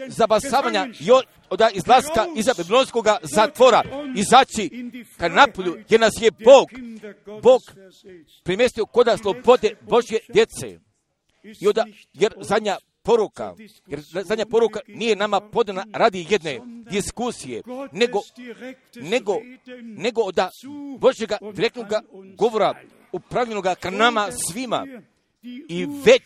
zabasavanja i od, od izlaska iza babilonskog zatvora, izaći ka napolju, jer nas je Bog, Bog primjestio koda slobode Božje djece. I od, jer zadnja poruka, jer zadnja poruka nije nama podana radi jedne diskusije, nego, nego, nego od Božjega direktnog govora upravljenoga ka nama svima. I već,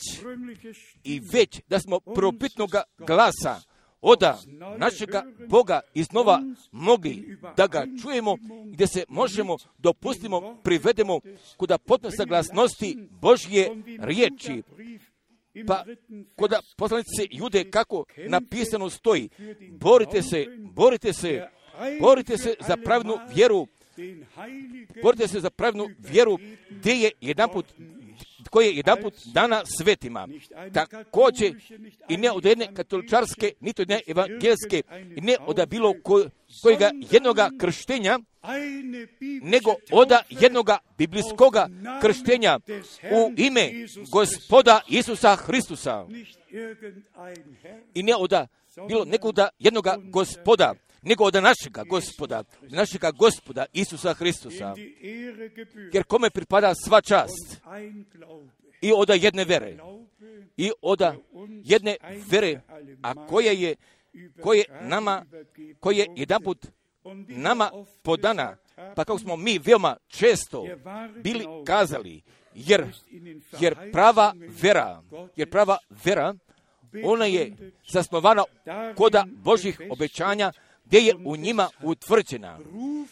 i već da smo propitnoga glasa oda našega Boga iznova mogli da ga čujemo, gdje se možemo dopustimo, privedemo kuda potpune saglasnosti Božje riječi. Pa koda poslanice Jude kako napisano stoji, borite se, borite se, borite se za pravednu vjeru, borite se za pravednu vjeru, gdje je jedanput koje je jedanput dana svetima. Također i ne od jedne katoličarske, niti od jedne evangelske, i ne od bilo ko, kojega jednoga krštenja, nego od jednoga biblijskoga krštenja u ime Gospoda Isusa Hristusa. I ne od bilo nekoga jednoga Gospoda, nego od našega Gospoda, našega Gospoda Isusa Hristusa. Jer kome pripada sva čast i od jedne vere, i od jedne vere, a koja je, koje nama, koje je jedanput nama podana, pa kako smo mi veoma često bili kazali, jer, jer prava vera, jer prava vera, ona je zasnovana kod Božjih obećanja, gdje je u njima utvrđena.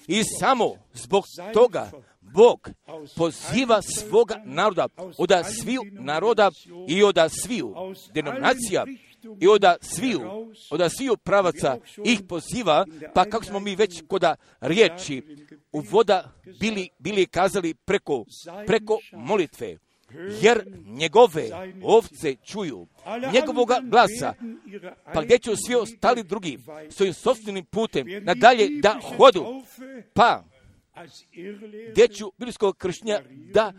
I samo zbog toga Bog poziva svoga naroda, od sviju naroda i od sviju denominacija, i od sviju, od sviju pravaca ih poziva, pa kako smo mi već kod riječi u voda bili, bili kazali preko, preko molitve. Jer njegove ovce čuju njegovoga glasa, pa gdje će svi ostali drugi svojim sopstvenim putem nadalje da hodu, pa gdje ću biblijskog krštenja da,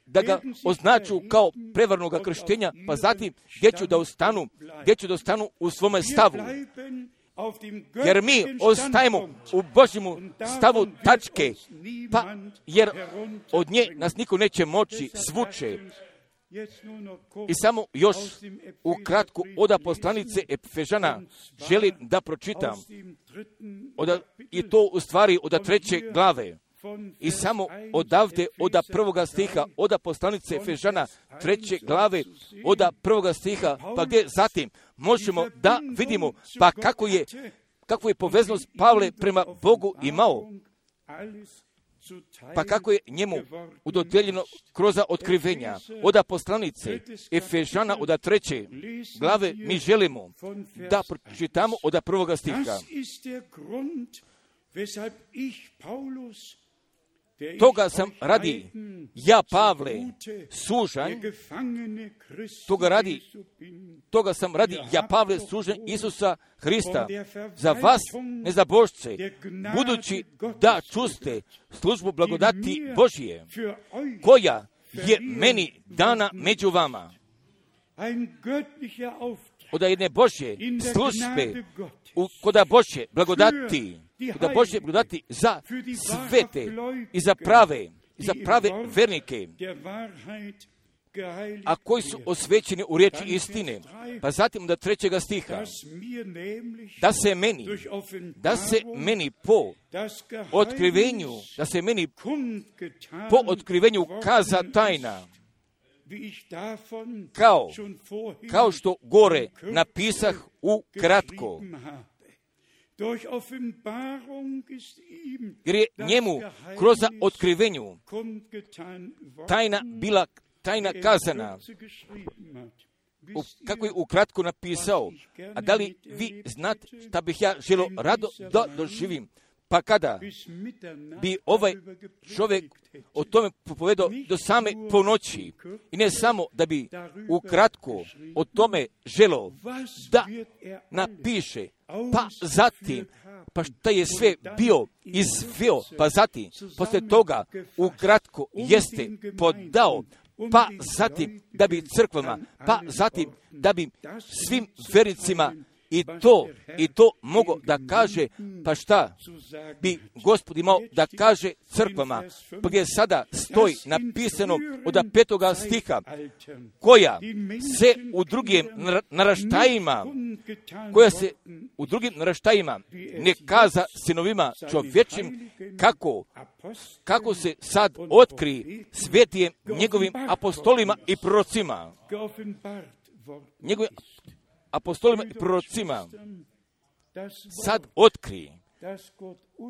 da ga označu kao prevarnoga krštenja, pa zatim gdje ću da ostanu, gdje ću da ostanu u svome stavu. Jer mi ostajemo u Božjemu stavu tačke, pa jer od nje nas niko neće moći svuče. I samo još ukratko od poslanice Efežana želim da pročitam, od, i to u stvari od treće glave. I samo odavde, od prvoga stiha, od poslanice Efežana treće glave, od prvoga stiha, pa gdje zatim možemo da vidimo pa kako je, kako je poveznost Pavle prema Bogu imao, pa kako je njemu udodjeljeno kroz otkrivenja. Od poslanice Efežana od treće glave mi želimo da pročitamo od prvoga stiha. Toga sam radi, ja Pavle, sužanj, toga radi, toga sam radi, ja Pavle, sužanj Isusa Hrista, za vas, nezabožce, budući da čuste službu blagodati Božije, koja je meni dana među vama. Od jedne Božje službe, kod Božje blagodati, da Božje blagodati za svete i za prave, i za prave vernike, a koji su osvećeni u riječi istine. Pa zatim do trećega stiha, da se meni, da se meni po otkrivenju, da se meni po otkrivenju kaza tajna, kao, kao što gore napisah u kratko. Jer je njemu kroz otkrivenju tajna bila tajna kazana. U, kako je ukratko napisao, a da li vi znate šta bih ja želio rado da doživim? Pa kada bi ovaj čovjek o tome propovedao do same ponoći, i ne samo da bi ukratko o tome želio da napiše, pa zatim, pa šta je sve bio izveo, pa zatim, poslije toga ukratko jeste podao, pa zatim da bi crkvama, pa zatim da bi svim vernicima i to, i to mogo da kaže, pa šta bi Gospod imao da kaže crkvama, pa gdje sada stoji napisano od petoga stiha, koja se u drugim naraštajima, koja se u drugim naraštajima ne kaza sinovima čovječim, kako, kako se sad otkri svetijem njegovim apostolima i prorocima, njegovim apostolima i prorocima sad otkri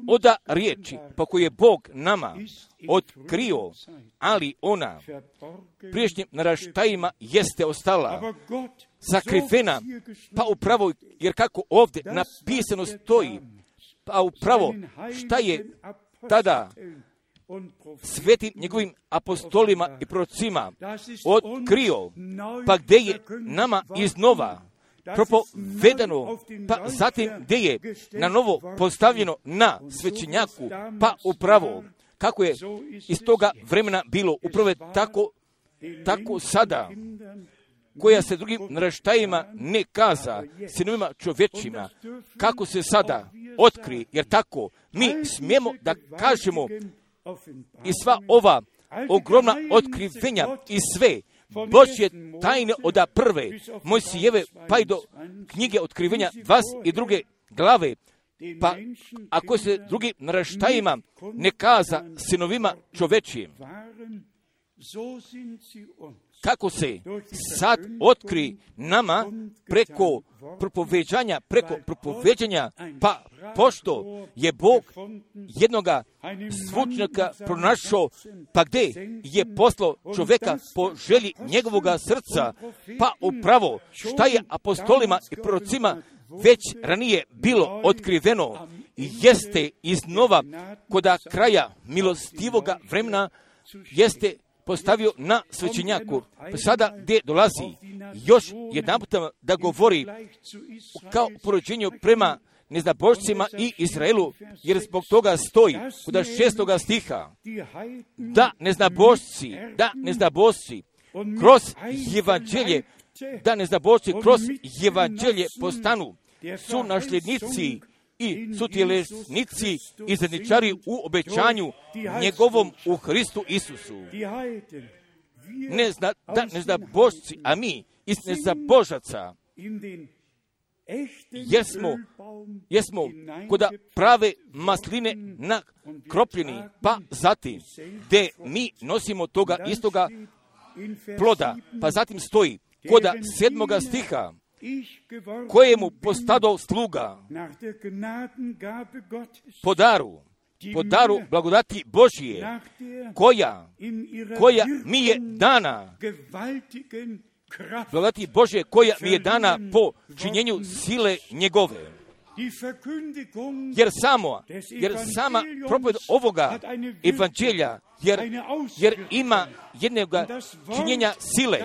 od riječi pa koju je Bog nama otkrio, ali ona priješnjim naraštajima jeste ostala sakrivena, pa upravo, jer kako ovdje napisano stoji, pa upravo šta je tada svetim njegovim apostolima i prorocima otkrio, pa gdje je nama iznova propovedano, pa zatim gdje je na novo postavljeno na svećenjaku, pa upravo kako je iz toga vremena bilo upravo tako, tako sada, koja se drugim naraštajima ne kaza, sinovima čovječima, kako se sada otkri, jer tako mi smijemo da kažemo i sva ova ogromna otkrivenja i sve Božje tajne od prve Mojsijeve pa i do knjige otkrivenja dvadeset druge glave, pa ako se drugim naraštajima ne kaza sinovima čovečijim, kako se sad otkri nama preko propoveđanja, preko propoveđanja, pa pošto je Bog jednoga zvučnika pronašao, pa gdje je poslao čovjeka po želji njegovoga srca, pa upravo šta je apostolima i prorocima već ranije bilo otkriveno, jeste iznova koda kraja milostivoga vremena jeste postavio na svećenjaku. Pa sada gdje dolazi još jedan puta da govori kao porođenju prema neznabošcima i Izraelu, jer zbog toga stoji kod šestoga stiha da neznabošci, da neznabošci kroz evanđelje, da neznabošci kroz evanđelje postanu su nasljednici i sutjelesnici i zadničari u obećanju njegovom u Hristu Isusu. Ne zna, da ne zna Božci, a mi iz nezabožaca, jer smo, jer smo koda prave masline nakropljeni, pa zatim, gdje mi nosimo toga istoga ploda, pa zatim stoji koda sedmoga stiha, kojemu postado sluga po daru, po daru blagodati Božije, koja, koja mi je dana, blagodati Božje, koja mi je dana po činjenju sile njegove. Jer samo, jer sama propoved ovoga evanđelja, jer, jer ima jednog činjenja sile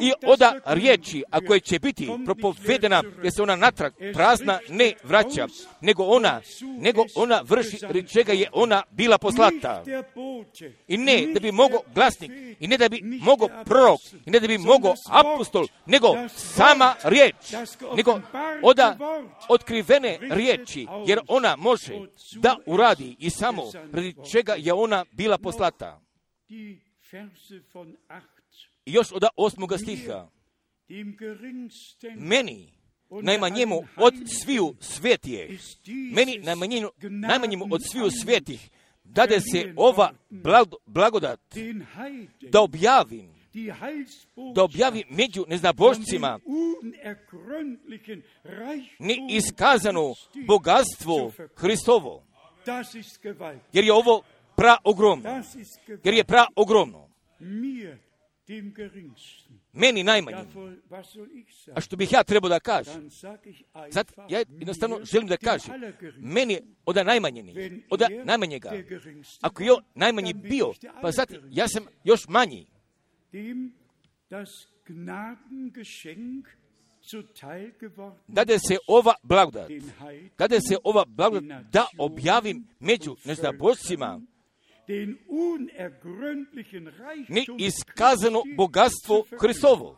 i oda riječi, a koje će biti propovedena, jer se ona natrag prazna ne vraća, nego ona, nego ona vrši radi čega je ona bila poslata. I ne da bi mogao glasnik, i ne da bi mogao prorok, i ne da bi mogao apostol, nego sama riječ, nego oda otkrivene riječi, jer ona može da uradi i samo radi čega je ona bila poslata. I još od osmoga stiha, meni najmanjemu od sviju svetije, meni najmanjemu, najmanjemu od sviju svetih, dade se ova blagodat da objavim, da objavim među neznabošcima neiskazano bogatstvo Hristovo, jer je ovo praogromno, jer je praogromno. Meni najmanji. A što bih ja trebao da kažem? Sad, ja jednostavno želim da kažem, meni od najmanjeni, od najmanjega. Ako je najmanji bio, pa sad ja sam još manji. Dade se ova blagodat, dade se ova blagodat da objavim među neznabošcima neiskazano bogatstvo Hristovo.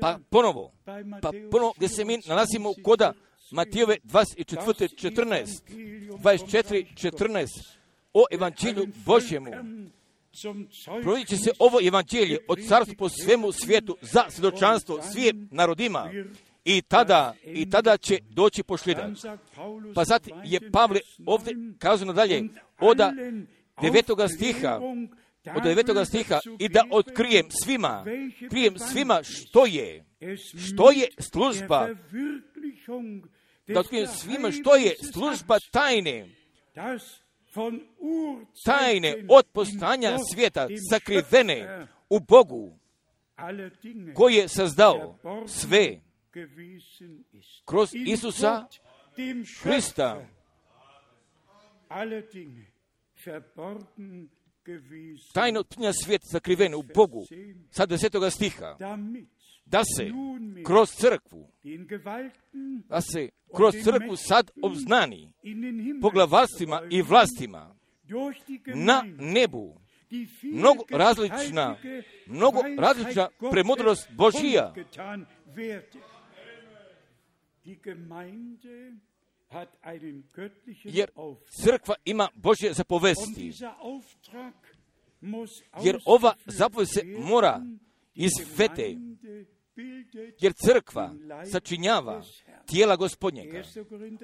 Pa ponovo, pa ponovo gdje se mi nalazimo koda Matijove dvadeset četiri četrnaest, dvadeset četiri četrnaest o evanđelju Božjemu. Provodit će se ovo evanđelje od carstva po svemu svijetu za svjedočanstvo svim narodima. I tada, i tada će doći pošljedak. Pa zatim je Pavle ovdje kazano dalje, od devetoga stiha, od devetoga stiha, i da otkrijem svima, krijem svima što je, što je služba, da otkrijem svima što je služba tajne, tajne od postojanja svijeta, sakrivene u Bogu, koji je sazdao sve kroz Isusa Hrista. tajno tpnja svijet sakriven u Bogu, sa desetoga stiha, da se kroz crkvu, da se kroz crkvu sad obznani poglavarstvima i vlastima na nebu mnogo različna, mnogo različna premudrost Božija. Jer crkva ima Božje zapovesti. Jer ova zapovest se mora izvede. Jer crkva sačinjava tijela Gospodnjega.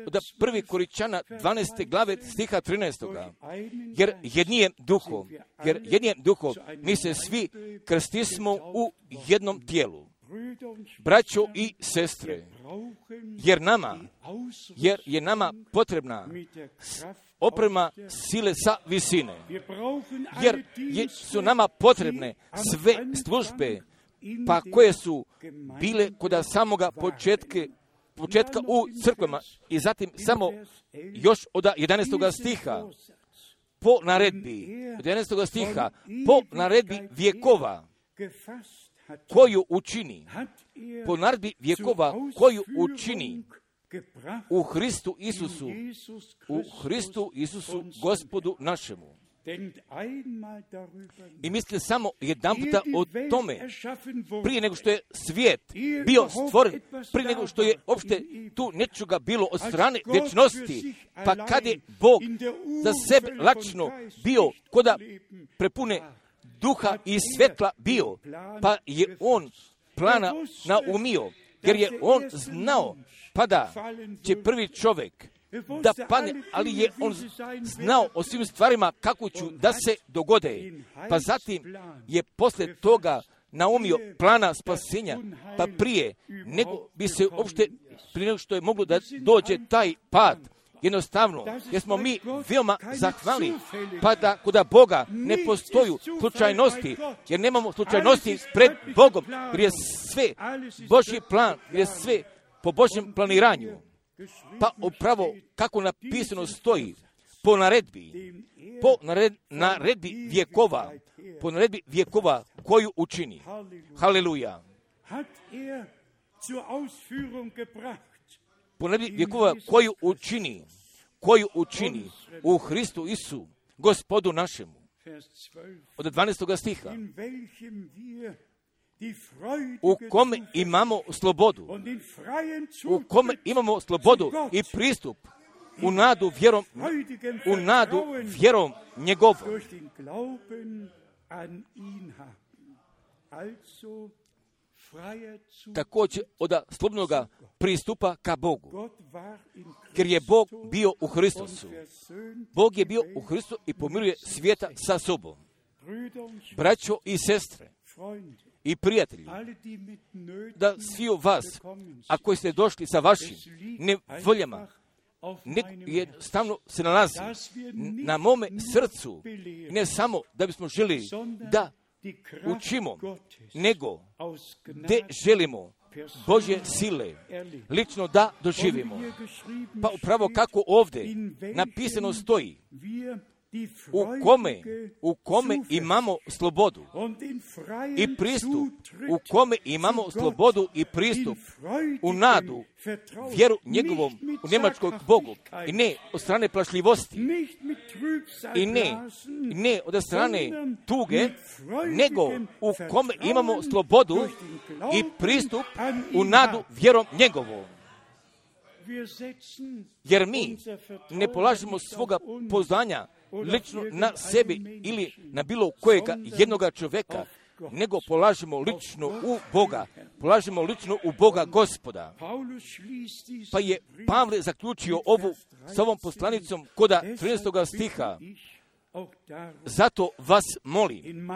Od prvi Koričana dvanaeste glave stiha trinaestoga. Jer jednijem duhom, jer jednijem duhom mi se svi krstismo u jednom tijelu. Braćo i sestre, jer nama, jer je nama potrebna oprema sile sa visine. Jer je, su nama potrebne sve službe, pa koje su bile kod samoga početka, početka u crkvama. I zatim samo još od jedanaestoga stiha, po naredbi, od jedanaestoga stiha, po naredbi vjekova, koju učini, po naredbi vjekova, koju učini u Hristu Isusu, u Hristu Isusu, Gospodu našemu. I misli samo jedan puta o tome, prije nego što je svijet bio stvoren, prije nego što je uopšte tu nečega bilo od strane vječnosti, pa kad je Bog za sebe lačno bio koda prepune duha i svjetla bio, pa je on plana naumio, jer je on znao pa da će prvi čovjek da padne, ali je on znao o svim stvarima kako ću da se dogode. Pa zatim je poslije toga naumio plana spasenja, pa prije nego bi se uopšte, prije nego što je moglo da dođe taj pad, jednostavno, jer smo mi veoma zahvalni, pa da kod Boga ne postoju slučajnosti, jer nemamo slučajnosti pred Bogom, jer je sve Božji plan, jer je sve po Božjem planiranju. Pa upravo kako napisano stoji, po naredbi, po nared, naredbi vjekova, po naredbi vjekova koju učini. Haleluja. Po naredbi vjekova koju učini, koju učini u Hristu Isu, Gospodu našemu. Od dvanaestoga stiha. U kome imamo slobodu, u kome imamo slobodu i pristup u nadu vjerom, u nadu vjerom njegovom. Također od slobodnoga pristupa ka Bogu. Jer je Bog bio u Hristusu. Bog je bio u Hristu i pomiruje svijeta sa sobom. Braćo i sestre i prijatelji, da svi u vas, a koji ste došli sa vašim nevoljama, jednostavno se nalazi na mome srcu, ne samo da bismo želi da učimo, nego gdje želimo Božje sile lično da doživimo. Pa upravo kako ovdje napisano stoji, u kome, u kome imamo slobodu i pristup, u kome imamo slobodu i pristup u nadu, vjeru njegovom, u njemačkog Bogu, i ne od strane plašljivosti, i ne, ne od strane tuge, nego u kome imamo slobodu i pristup u nadu vjerom njegovom. Jer mi ne polažemo svoga poznanja lično na sebi ili na bilo kojega jednoga čovjeka, nego polažemo lično u Boga, polažemo lično u Boga Gospoda. Pa je Pavle zaključio ovu s ovom poslanicom koda trinaestoga stiha. Zato vas molim,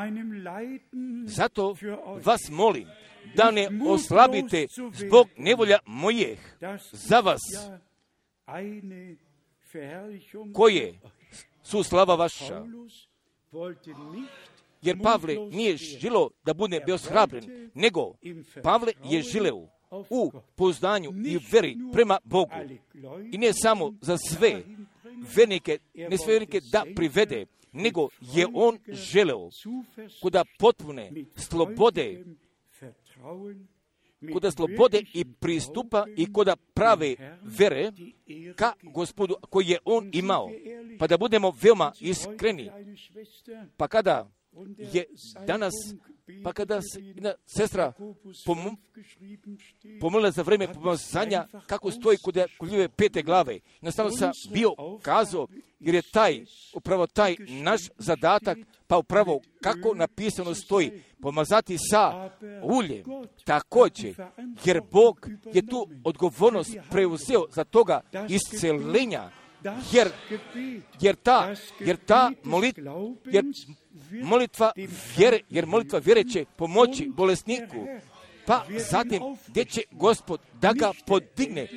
zato vas molim, da ne oslabite zbog nevolja mojih za vas, koje su slava vaša. Jer Pavle nije želio da bude bezhrabren, nego Pavle je želeo u poznanju i veri prema Bogu. I ne samo za sve, vernike, ne sve vernike da privede, nego je on želeo kuda potpune slobode, kuda slobode i pristupa i kuda prave vere ka Gospodu koji je on imao. Pa da budemo veoma iskreni. Pa kada je danas, pa kada jedna sestra pom, pomolila za vreme pomazanja, kako stoji kod Ljube pete glave. Jednostavno sam bio kazao, jer je taj, upravo taj naš zadatak, pa upravo kako napisano stoji, pomazati sa uljem, također, jer Bog je tu odgovornost preuzeo za toga iscelenja, jer, jer ta, jer ta molit, jer molitva vjere, jer molitva vjere će pomoći bolesniku, pa zatim gdje će Gospod da ga podigne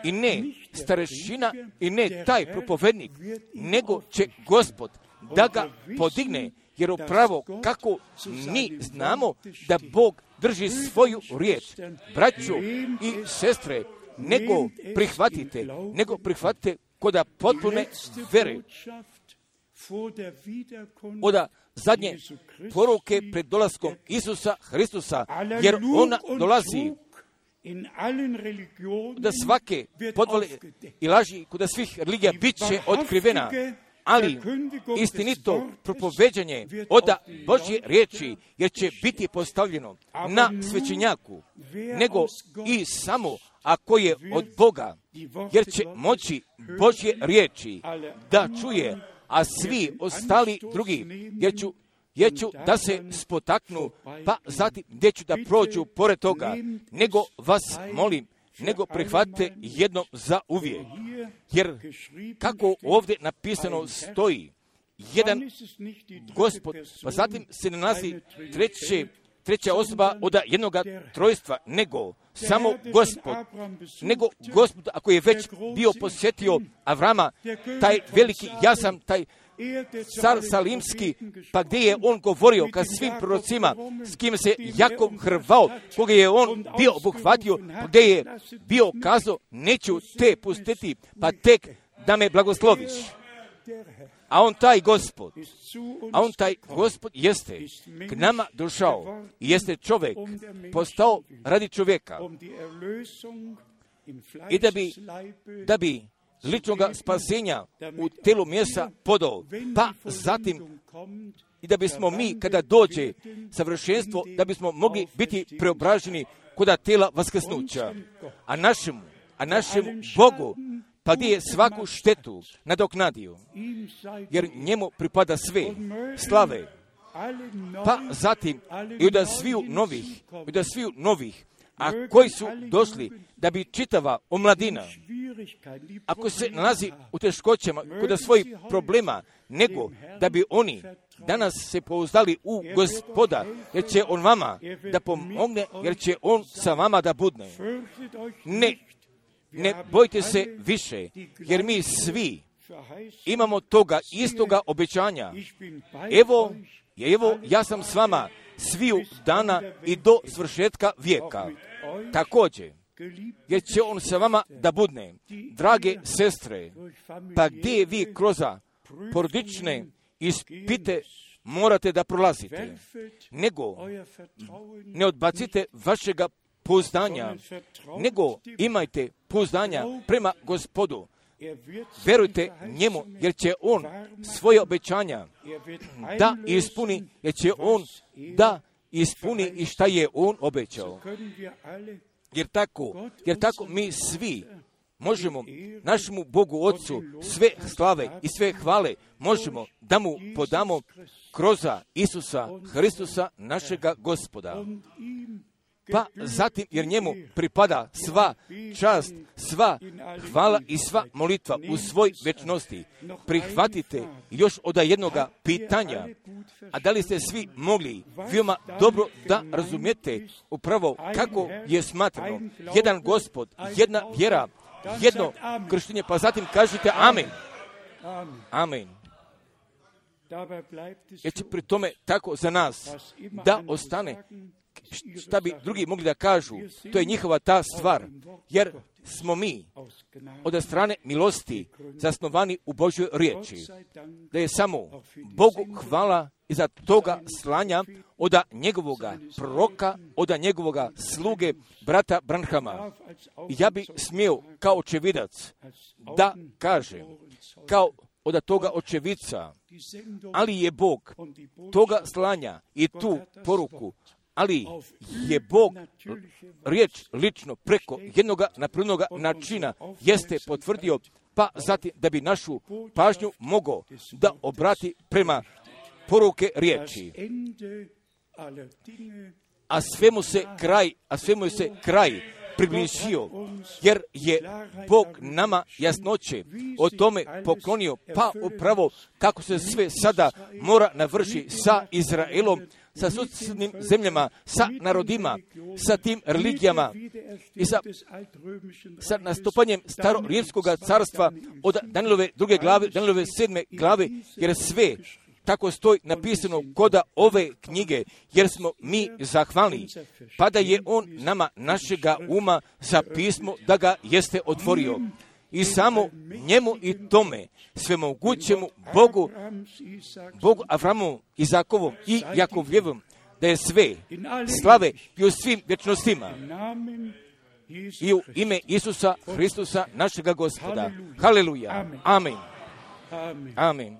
i ne starešina i ne taj propovednik, nego će Gospod da ga podigne, jer upravo kako mi znamo da Bog drži svoju riječ, braćo i sestre, nego prihvatite, nego prihvatite koda potpune vere, oda zadnje poruke pred dolaskom Isusa Hristusa, jer ona dolazi da svake podvale i laži kod svih religija bit će otkrivena, ali istinito propoveđanje oda Božje riječi, jer će biti postavljeno na svećenjaku, nego i samo ako je od Boga, jer će moći Božje riječi da čuje, a svi ostali drugi, jer ću, jer ću da se spotaknu, pa zatim gdje ću da prođu pored toga, nego vas molim, nego prihvatite jednom za uvijek. Jer kako ovdje napisano stoji, jedan Gospod, pa zatim se ne nalazi treće, treća osoba od jednoga trojstva, nego samo Gospod, nego Gospod, ako je već bio posjetio Avrama, taj veliki, ja sam taj car Salimski, pa gdje je on govorio ka svim prorocima, s kim se Jakov hrvao, koga je on bio obuhvatio, gdje je bio kazao, neću te pustiti, pa tek da me blagosloviš. A on taj Gospod, a on taj Gospod jeste k nama došao i jeste čovjek, postao radi čovjeka i da bi, da bi ličnoga spasenja u telu mjesa podao, pa zatim i da bismo mi, kada dođe savršenstvo, da bismo mogli biti preobraženi kod tela vaskrsnuća. A našemu, a našemu Bogu, pa gdje je svaku štetu nadoknadio, jer njemu pripada sve slave, pa zatim i od sviju novih, i od sviju novih, a koji su došli da bi čitava omladina, ako se nalazi u teškoćama kod svojih problema, nego da bi oni danas se pouzdali u Gospoda, jer će on vama da pomogne, jer će on sa vama da budne. Ne, ne bojte se više, jer mi svi imamo toga istoga obećanja. Evo, evo ja sam s vama sviju dana i do svršetka vijeka. Također, jer će on sa vama da budne. Drage sestre, pa gdje vi kroz porodične ispite morate da prolazite, nego ne odbacite vašega pouzdanja, nego imajte pouzdanja prema Gospodu. Verujte njemu, jer će on svoje obećanja da ispuni, jer će on da ispuni i šta je on obećao. Jer tako, jer tako mi svi možemo našemu Bogu Otcu sve slave i sve hvale možemo da mu podamo kroz Isusa Hristusa našega Gospoda. Pa zatim, jer njemu pripada sva čast, sva hvala i sva molitva u svoj večnosti. Prihvatite još od jednoga pitanja, a da li ste svi mogli veoma dobro da razumijete upravo kako je smatrano jedan Gospod, jedna vjera, jedno krštenje, pa zatim kažete amen. Amen. Jer će pri tome tako za nas da ostane, šta bi drugi mogli da kažu, to je njihova ta stvar, jer smo mi od strane milosti zasnovani u Božjoj riječi, da je samo Bogu hvala iza toga slanja od njegovoga proroka, od njegovoga sluge, brata Branhama. Ja bi smio kao očevidac da kažem, kao od toga očevica, ali je Bog toga slanja i tu poruku, ali je Bog riječ lično preko jednoga napravljenoga načina jeste potvrdio, pa zatim da bi našu pažnju mogao da obrati prema poruke riječi. A svemu se kraj, a svemu se kraj približio, jer je Bog nama jasnoće o tome poklonio, pa upravo kako se sve sada mora navrši sa Izraelom, sa susjednim zemljama, sa narodima, sa tim religijama i sa, sa nastupanjem starorimskog carstva od Danilove druge glave, Danilove sedme glave, jer sve tako stoji napisano koda ove knjige, jer smo mi zahvalni, pa da je on nama našega uma za pismo da ga jeste otvorio. I samo njemu i tome svemogućemu Bogu, Bogu Avramu, Izakovom i Jakovljevom, da je sve slave i u svim vječnostima. I u ime Isusa Hristusa, našega Gospoda. Haleluja. Amen. Amen.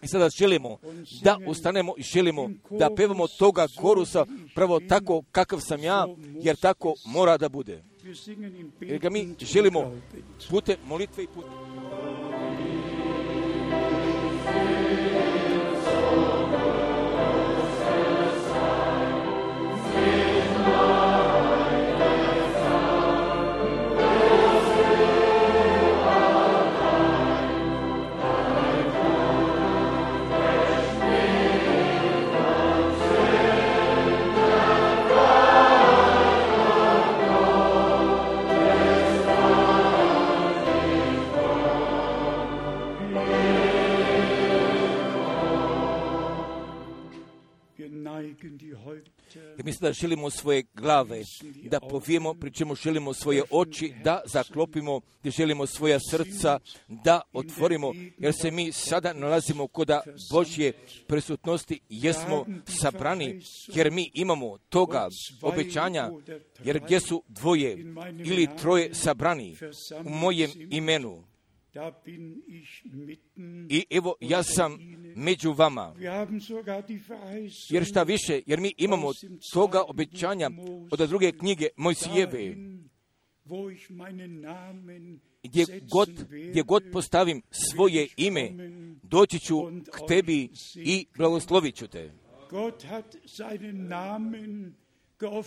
I sada želimo da ustanemo i želimo da pevamo toga korusa pravo tako kakav sam ja, jer tako mora da bude. Jer ga mi želimo putem molitve i putem. Jer mislim da želimo svoje glave da povijemo, pri čemu želimo svoje oči da zaklopimo, gdje želimo svoja srca da otvorimo, jer se mi sada nalazimo kod Božje prisutnosti, jesmo sabrani, jer mi imamo toga obećanja, jer gdje su dvoje ili troje sabrani u mojem imenu. I evo, ja sam među vama. Jer šta više, jer mi imamo toga obećanja od druge knjige Mojsijeve, gdje god, gdje god postavim svoje ime, doći ću k tebi i blagoslovit ću te.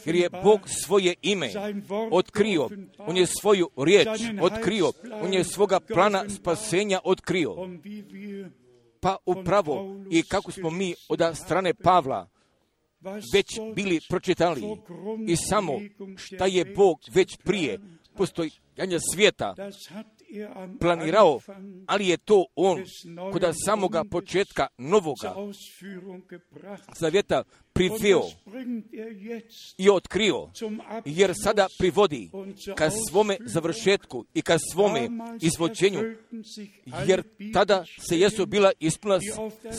Jer je Bog svoje ime otkrio, on je svoju riječ otkrio, on je svoga plana spasenja otkrio. Pa upravo i kako smo mi od strane Pavla već bili pročitali i samo šta je Bog već prije postojanja svijeta planirao, ali je to on kod samoga početka novoga zavjeta priveo i otkrio, jer sada privodi ka svome završetku i ka svome izvođenju, jer tada se jesu bila ispunila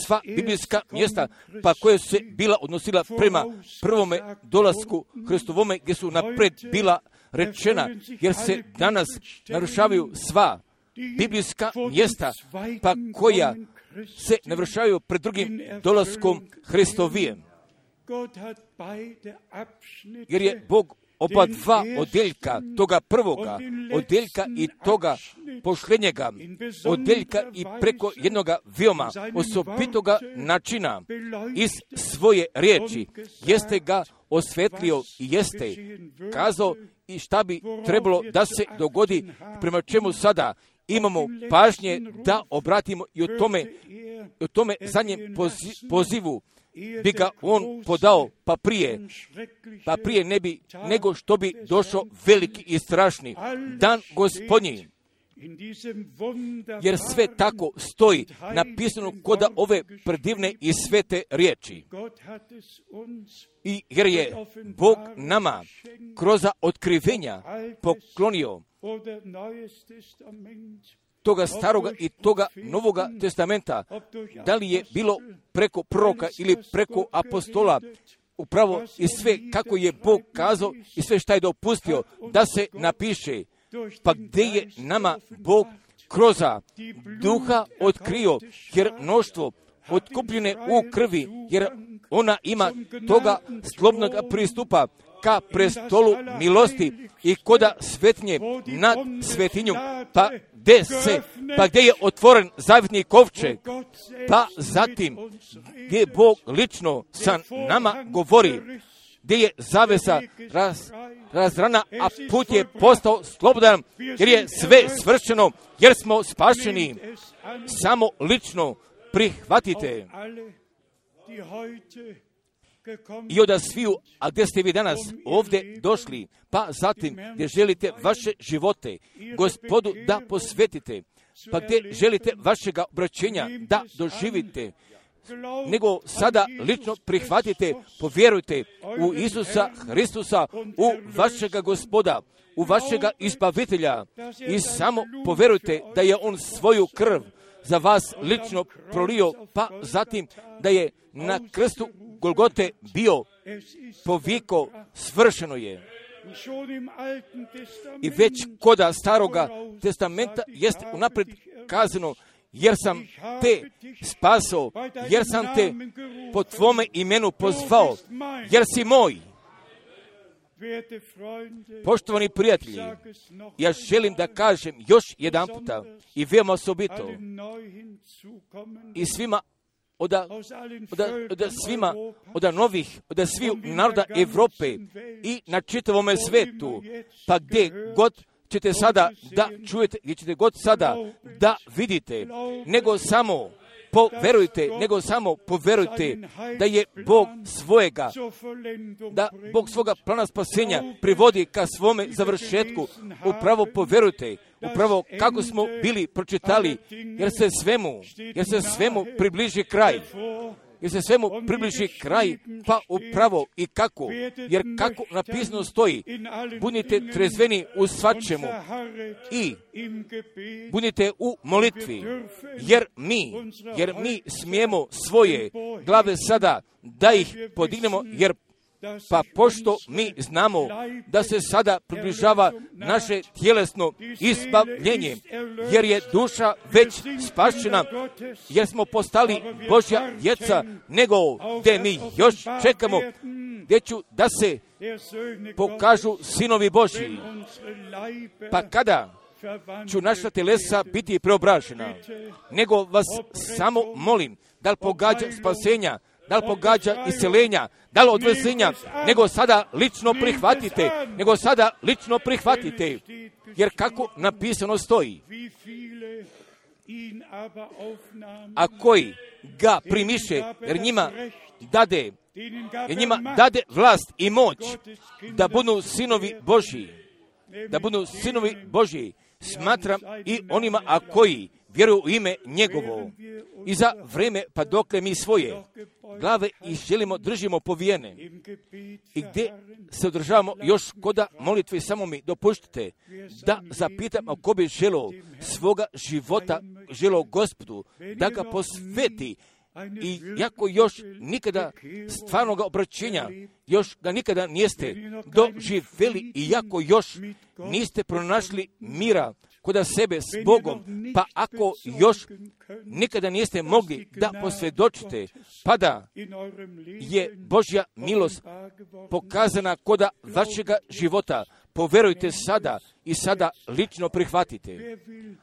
sva biblijska mjesta, pa koje su se bila odnosila prema prvome dolasku Hristovome, gdje su napred bila rečena, jer se danas narušavaju sva biblijska mjesta, pa koja se navršavaju pred drugim dolaskom Hristovijem. Jer je Bog oba dva odjeljka, toga prvoga odjeljka i toga posljednjega odjeljka i preko jednoga veoma osobitoga načina iz svoje riječi jeste ga osvetlio i jeste kazao i šta bi trebalo da se dogodi, prema čemu sada imamo pažnje da obratimo i o tome, o tome zadnjem pozivu bi ga on podao, pa prije, pa prije ne bi, nego što bi došao veliki i strašni dan Gospodnji. jer sve tako stoji napisano kod ove predivne i svete riječi. I jer je Bog nama kroz otkrivenja poklonio toga staroga i toga novoga testamenta, da li je bilo preko proroka ili preko apostola, upravo i sve kako je Bog kazao i sve šta je dopustio da se napiše, pa gdje je nama Bog kroz duha otkrio, jer mnoštvo otkupljene u krvi, jer ona ima toga slobodnog pristupa ka prestolu milosti i koda svetinje nad svetinjom, pa gdje se, pa gdje je otvoren zavjetni kovčeg, pa zatim gdje Bog lično sa nama govori, gdje je zavesa raz, razrana, a put je postao slobodan, jer je sve svršeno, jer smo spašeni. Samo lično prihvatite. I od sviju, a gdje ste vi danas ovdje došli, pa zatim gdje želite vaše živote Gospodu da posvetite, pa gdje želite vašega obraćenja da doživite, nego sada lično prihvatite, povjerujte u Isusa Hristusa, u vašega Gospoda, u vašega izbavitelja i samo povjerujte da je On svoju krv za vas lično prolio, pa zatim da je na krstu Golgote bio poviko, svršeno je. I već koda staroga testamenta jest unaprijed kazano, jer sam te spasao, jer sam te po tvome imenu pozvao, jer si moj. Poštovani prijatelji, ja želim da kažem još jedan puta i veoma osobito i svima od, od, od svima, od novih, od svih naroda Evrope i na čitavome svetu, pa gdje god ćete sada da čujete, gdje ćete god sada da vidite, nego samo poverujte, nego samo poverujte da je Bog svojega, da Bog svoga plana spasenja privodi ka svome završetku. Upravo poverujte, upravo kako smo bili pročitali, jer se svemu, jer se svemu približi kraj. Jer se svemu približi kraj, pa upravo i kako, jer kako napisano stoji, budite trezveni u svačemu i budite u molitvi, jer mi, jer mi smijemo svoje glave sada da ih podignemo, jer pa pošto mi znamo da se sada približava naše tjelesno izbavljenje, jer je duša već spašena, jer smo postali Božja djeca, nego gdje mi još čekamo, gdje ću da se pokažu sinovi Božji. Pa kada ću naša telesa biti preobražena, nego vas samo molim, da li pogađa spasenja, da li pogađa isceljenja, da li odvezenja, nego sada lično prihvatite, nego sada lično prihvatite, jer kako napisano stoji, a koji ga primiše, jer njima dade, jer njima dade vlast i moć da budu sinovi Božji, da budu sinovi Božji, smatram i onima, a koji vjeruju u ime njegovo. I za vreme, pa dokle mi svoje glave i želimo, držimo povijene. I gdje se održavamo još koda molitve, samo mi dopuštite da zapitam ako bi želo svoga života, želo Gospodu, da ga posveti. I jako još nikada stvarnog obraćenja, još ga nikada niste doživjeli i jako još niste pronašli mira kod sebe s Bogom, pa ako još nikada niste mogli da posvjedočite, pa da je Božja milost pokazana kod vašega života, poverujte sada i sada lično prihvatite.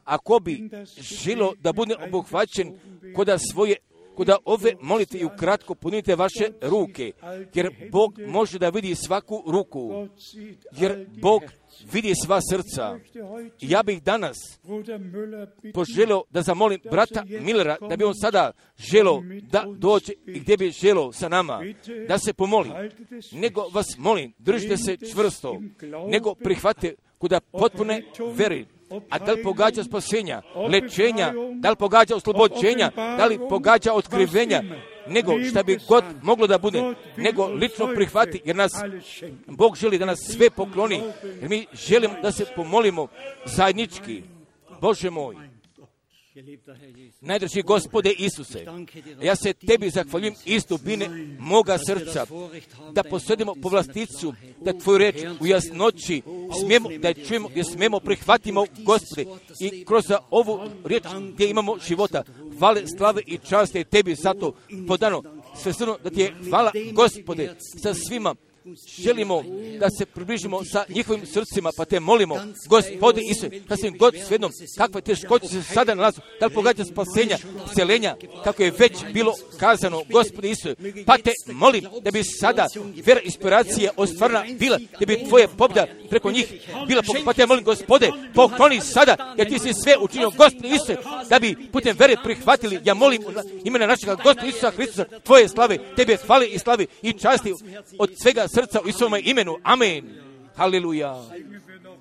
Ako bi želo da bude obuhvaćen kod svoje Kuda ove molite i ukratko punite vaše ruke, jer Bog može da vidi svaku ruku, jer Bog vidi sva srca. Ja bih danas poželio da zamolim brata Millera, da bi on sada želio da dođe i gdje bi želio sa nama, da se pomoli. Nego vas molim, držite se čvrsto, nego prihvate kuda potpune veri. a da li pogađa spasenja, lečenja, da li pogađa oslobođenja, da li pogađa otkrivenja, nego šta bi god moglo da bude, nego lično prihvati, jer nas Bog želi da nas sve pokloni, jer mi želimo da se pomolimo zajednički. Bože moj, najdraži Gospode Isuse, ja se Tebi zahvaljujem iz dubine moga srca, da posjedimo povlasticu, da Tvoju reč u jasnoći smijemo, da je čujemo, da smijemo prihvatimo, Gospode, i kroz ovu riječ gdje imamo života, hvale, slave i časte Tebi zato podano. Sve srno da Ti je hvala, Gospode, sa svima. Želimo da se približimo sa njihovim srcima, pa Te molimo, Gospode Isuse, da se im god svednom, kakve teškoće se sada nalazu, da li pogađa spasenja, seljenja, kako je već bilo kazano, Gospode Isuse, pa Te molim da bi sada vera inspiracija ostvarna bila, da bi Tvoje pobjeda preko njih bila, pa Te molim, Gospode, pokloni sada, jer Ti si sve učinio, Gospode Isuse, da bi putem vere prihvatili, ja molim imena našega Gospoda Isusa Hristusa, Tvoje slave, Tebe hvale i slavi i časti od svega srca u Isusovom imenu. Amen. Haleluja.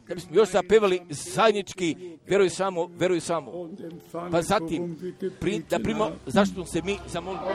Da bismo još zapevali zajednički, veruj samo, veruj samo. Pa zatim, pri, da primo, zašto se mi zamolimo.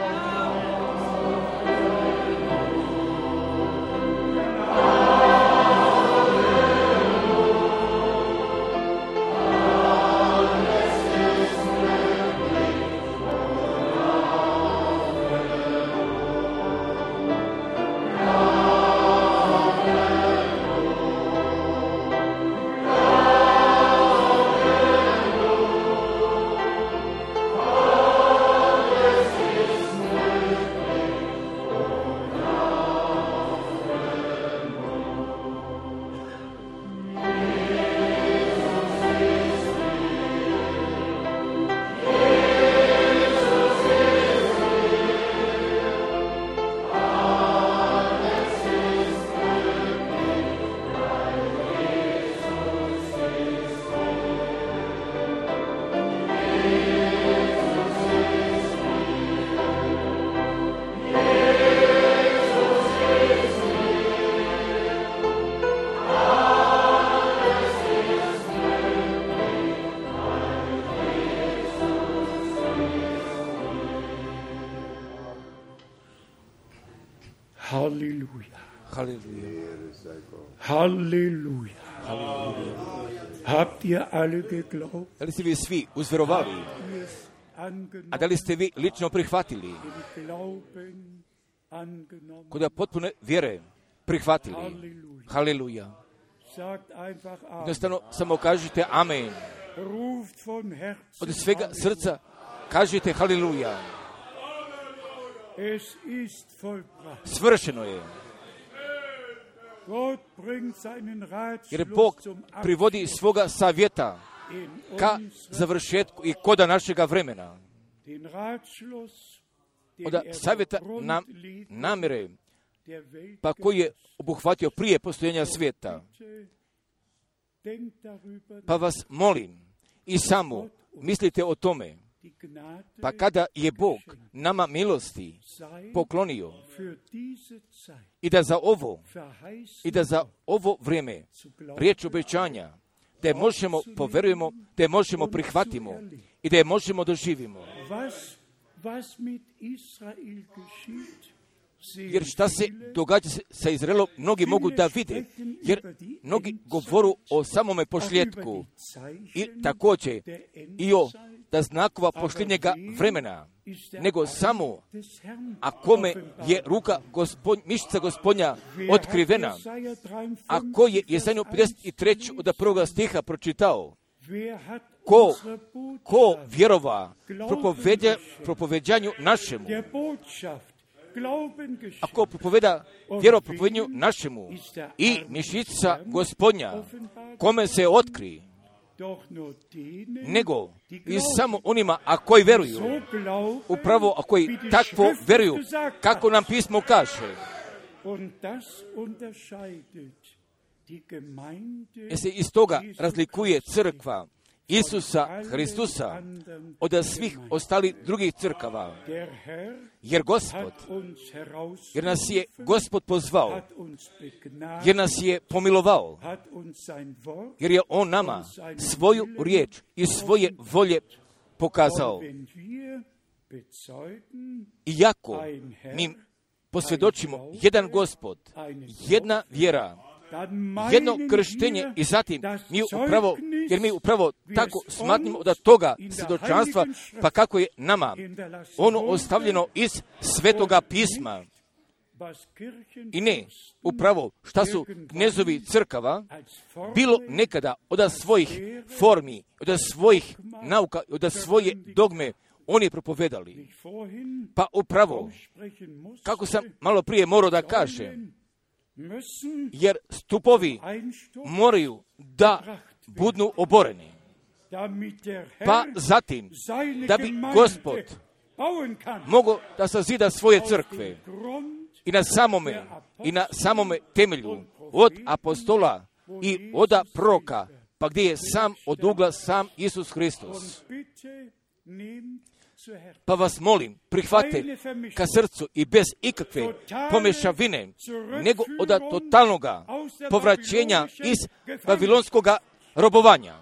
Halleluja. Halleluja. Halleluja. Halleluja. Habt ihr alle geglaubt? Da li ste vi svi uzverovali? A da li ste vi lično prihvatili? Kod da potpune vjere prihvatili? Halleluja. Jednostavno samo kažite amen. Od svega srca kažite halleluja. Svršeno je. Jer Bog privodi svoga savjeta ka završetku i koda našega vremena. Od savjeta nam namire, pa koji je obuhvatio prije postojenja svijeta. Pa vas molim i samo mislite o tome, pa kada je Bog nama milosti poklonio i da za ovo i da za ovo vrijeme riječ obećanja da je možemo poverujemo, da je možemo prihvatimo i da je možemo doživimo. Jer šta se događa sa Izraelom, mnogi mogu da vide, jer mnogi govoru o samome pošljetku i također i o da znakova posljednjega vremena, nego samo a kome je ruka gospod, mišica Gospodnja otkrivena, a ko je Jesaja pedeset tri od prvoga stiha pročitao, ko, ko vjerova propovedja, propoveđanju našemu, ako propoveda vjeropropovednju našemu i mišica Gospodnja, kome se otkri, nego i samo onima, a koji veruju, upravo a koji takvo veruju, kako nam pismo kaže. Jer se iz toga razlikuje crkva Isusa Hristusa od svih ostalih drugih crkava. Jer Gospod, jer nas je Gospod pozvao, jer nas je pomilovao, jer je On nama svoju riječ i svoje volje pokazao. Iako mi posvjedočimo jedan Gospod, jedna vjera, jedno krštenje i zatim mi upravo, jer mi upravo tako smatramo da toga svjedočanstva, pa kako je nama ono ostavljeno iz Svetoga pisma. I ne, upravo šta su knezovi crkava bilo nekada od svojih formi, od svojih nauka, od svoje dogme oni propovedali. Pa upravo, kako sam malo prije morao da kažem, jer stupovi moraju da budu oboreni. Pa zatim, da bi Gospod mogao da sazida svoje crkve i na samome, i na samome temelju od apostola i od proroka, pa gdje je sam od ugla sam Isus Hristos. Pa vas molim, prihvate ka srcu i bez ikakve pomešavine, nego od totalnoga povraćenja iz babilonskog robovanja,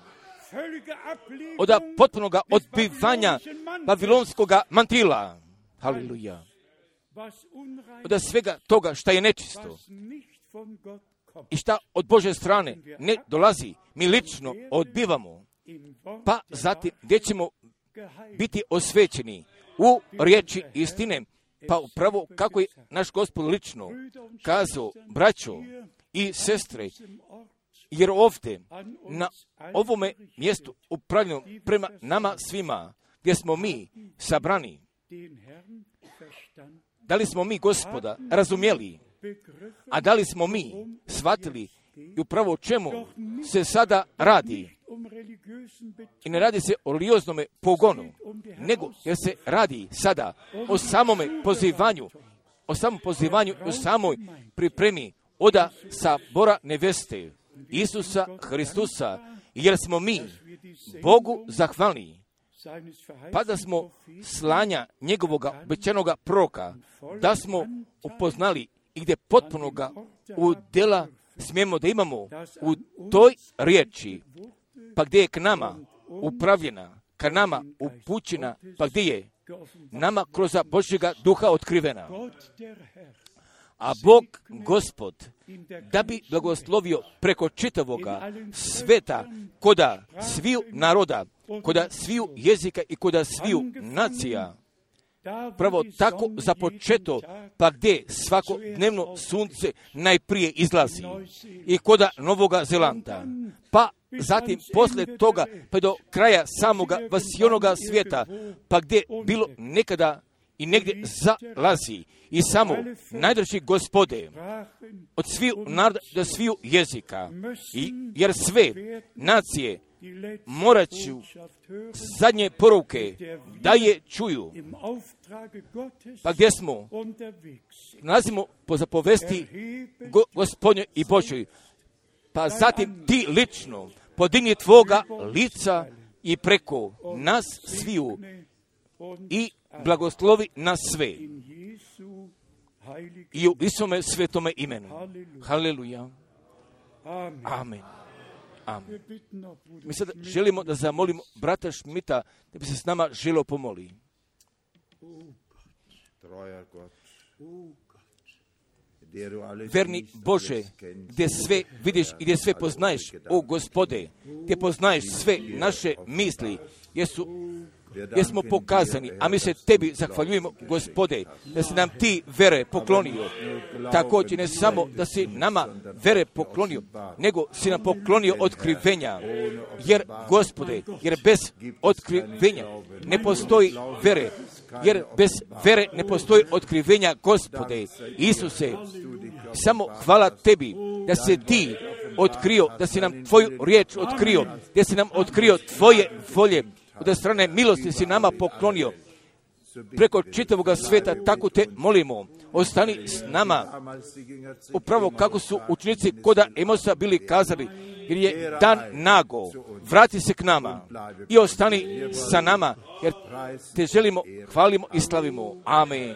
od potpunog odbivanja babilonskog mantila. Haleluja. Od svega toga šta je nečisto i šta od Božje strane ne dolazi, mi lično odbivamo. Pa zatim gdje ćemo biti osvećeni u riječi istine, pa upravo kako je naš Gospod lično kazao, braćo i sestre, jer ovdje na ovome mjestu upravljeno prema nama svima, gdje smo mi sabrani, da li smo mi Gospoda razumjeli, a da li smo mi shvatili i upravo o čemu se sada radi. I ne radi se o religioznom pogonu, nego jer se radi sada o samome pozivanju, o samom pozivanju i o samoj pripremi oda sabora neveste Isusa Hristusa, jer smo mi Bogu zahvalni, pa da smo slanja njegovog obećanoga proroka, da smo upoznali i gdje potpunoga u djela smijemo da imamo u toj riječi, pa gdje je k nama upravljena, ka nama upućena, pa gdje je nama kroz Božjega duha otkrivena. A Bog, Gospod, da bi blagoslovio preko čitavoga sveta, koda sviju naroda, koda sviju jezika i koda sviju nacija, pravo tako započeto, pa gdje svakodnevno sunce najprije izlazi i koda Novoga Zelanda, pa zatim poslije toga pa do kraja samoga vasionoga svijeta, pa gdje bilo nekada i negdje zalazi i samo najdraži Gospode od sviju naroda do sviju jezika, I, jer sve nacije morat ću zadnje poruke da je čuju, pa gdje smo nalazimo po zapovesti go, Gospodnjoj i Božoj, pa zatim ti lično podigni tvoga lica i preko nas sviju i blagoslovi nas sve i u Isome svetome imenu. Haleluja. Amen. Amen. Mi sad želimo da zamolimo brata Šmita da bi se s nama želio pomoli. Verni Bože, gdje sve vidiš i gdje sve poznaješ, o Gospode, gdje poznaješ sve naše misli, jesu jer smo pokazani, a mi se tebi zahvaljujemo, Gospode, da si nam ti vere poklonio. Također ne samo da si nama vere poklonio, nego si nam poklonio otkrivenja. Jer, Gospode, jer bez otkrivenja ne postoji vere. Jer bez vere ne postoji otkrivenja, Gospode. Isuse, samo hvala tebi da se ti otkrio, da si nam tvoju riječ otkrio, da si nam otkrio tvoje volje, od strane milosti si nama poklonio. preko čitavoga svijeta, tako te molimo, ostani s nama, upravo kako su učenici koda Emosa bili kazali, jer je dan nago, vrati se k nama i ostani sa nama, jer te želimo, hvalimo i slavimo. Amen.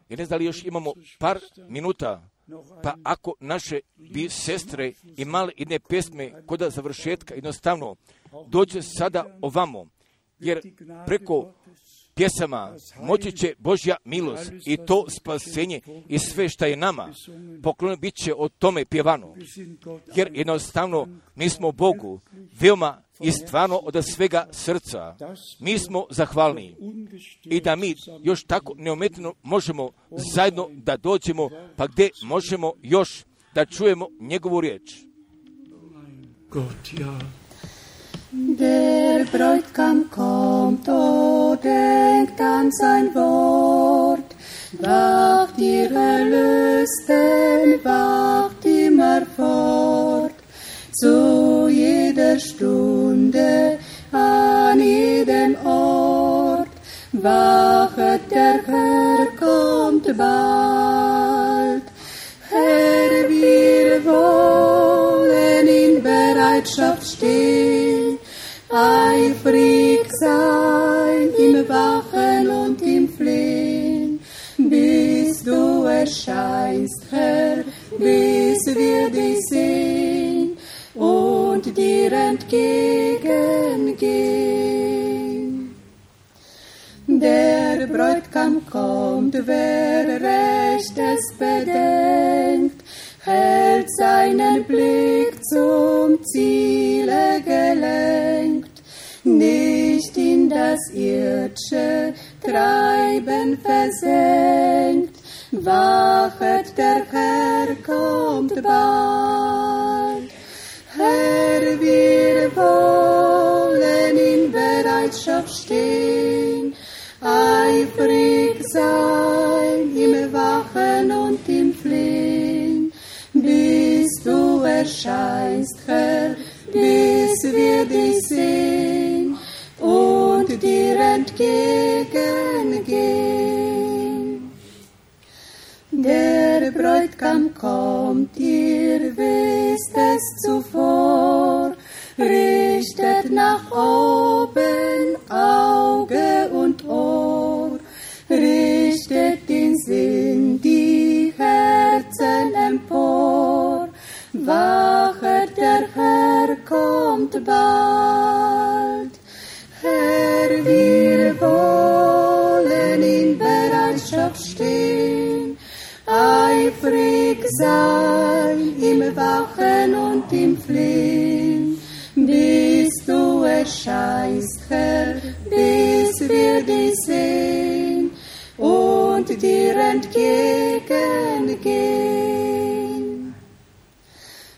Ja ne znam da li još imamo par minuta, pa ako naše bi sestre imali jedne pjesme koda završetka, jednostavno dođe sada ovamo, jer preko pjesama moći će Božja milost i to spasenje i sve šta je nama poklonjeno bit će o tome pjevano, jer jednostavno mi smo Bogu veoma i stvarno od svega srca mi smo zahvalni i da mi još tako neometno možemo zajedno da dođemo, pa gdje možemo još da čujemo njegovu riječ. Der Bräutigam kommt, o denkt an sein Wort, wacht ihr Erlösten, wacht immer fort, zu jeder Stunde, an jedem Ort, wachet, der Herr kommt bald. Herr, wir wollen in Bereitschaft stehen, eifrig sein im Wachen und im Flehen, bis du erscheinst, Herr, bis wir dich sehen und dir entgegengehen. Der Bräutigam kommt, wer recht es bedenkt, hält seinen Blick zum Ziele gelenkt, nicht in das irdische Treiben versenkt, wachet, der Herr kommt bald. Herr, wir wollen in Bereitschaft stehen, eifrig sein im Wachen und im Flehen, bis du erscheinst, Herr, bis wir dich sehen und dir entgegengehen. Der Bräutigam kommt, ihr wisst es zuvor, richtet nach oben Auge und Ohr, richtet den Sinn, die Herzen empor, wachet, der Herr kommt bald. Herr, wir wollen in Bereitschaft stehen, eifrig sein im Wachen und im Flehen, bis du erscheinst, Herr, bis wir dich sehen und dir entgegengehen.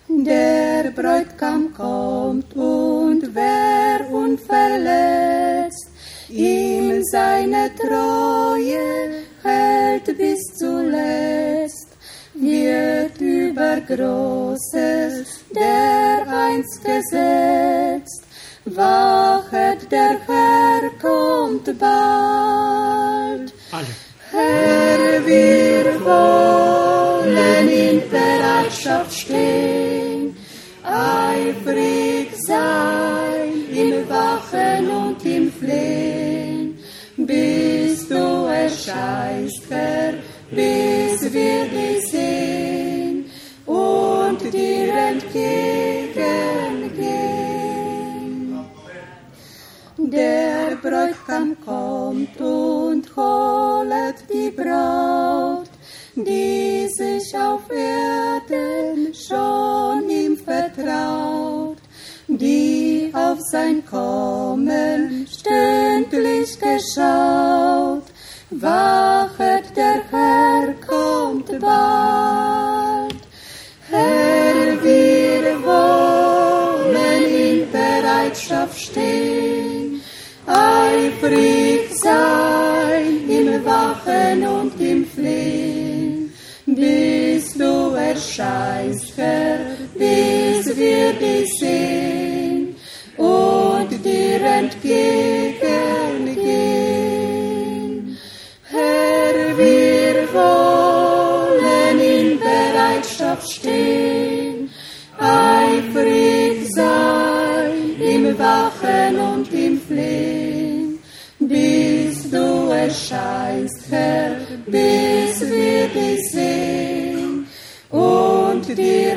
Der Bräutigam kommt und wer unverletzt ihm seine Treue hält bis zuletzt, wird über Großes dereinst gesetzt, wachet, der Herr kommt bald. Alle. Herr, wir wollen in Bereitschaft stehen, eifrig sein im Wachen und im Flehen, bis du erscheinst, Herr, bis wir dich sehen und dir entgegengehen. Der Bräutigam kommt und holet die Braut, die sich auf Erden schon ihm vertraut, die auf sein Kommen stündlich geschaut, wachet, der Herr kommt bald. Herr, wir wollen in Bereitschaft stehen, eifrig sein im Wachen und im Flehen, bis du erscheinst, Herr, bis wir dich sehen und dir entgegengehen. Herr, wir wollen in Bereitschaft stehen, eifrig sein im Wachen und im Flehen, bis du erscheinst, Herr, bis wir dich sehen und dir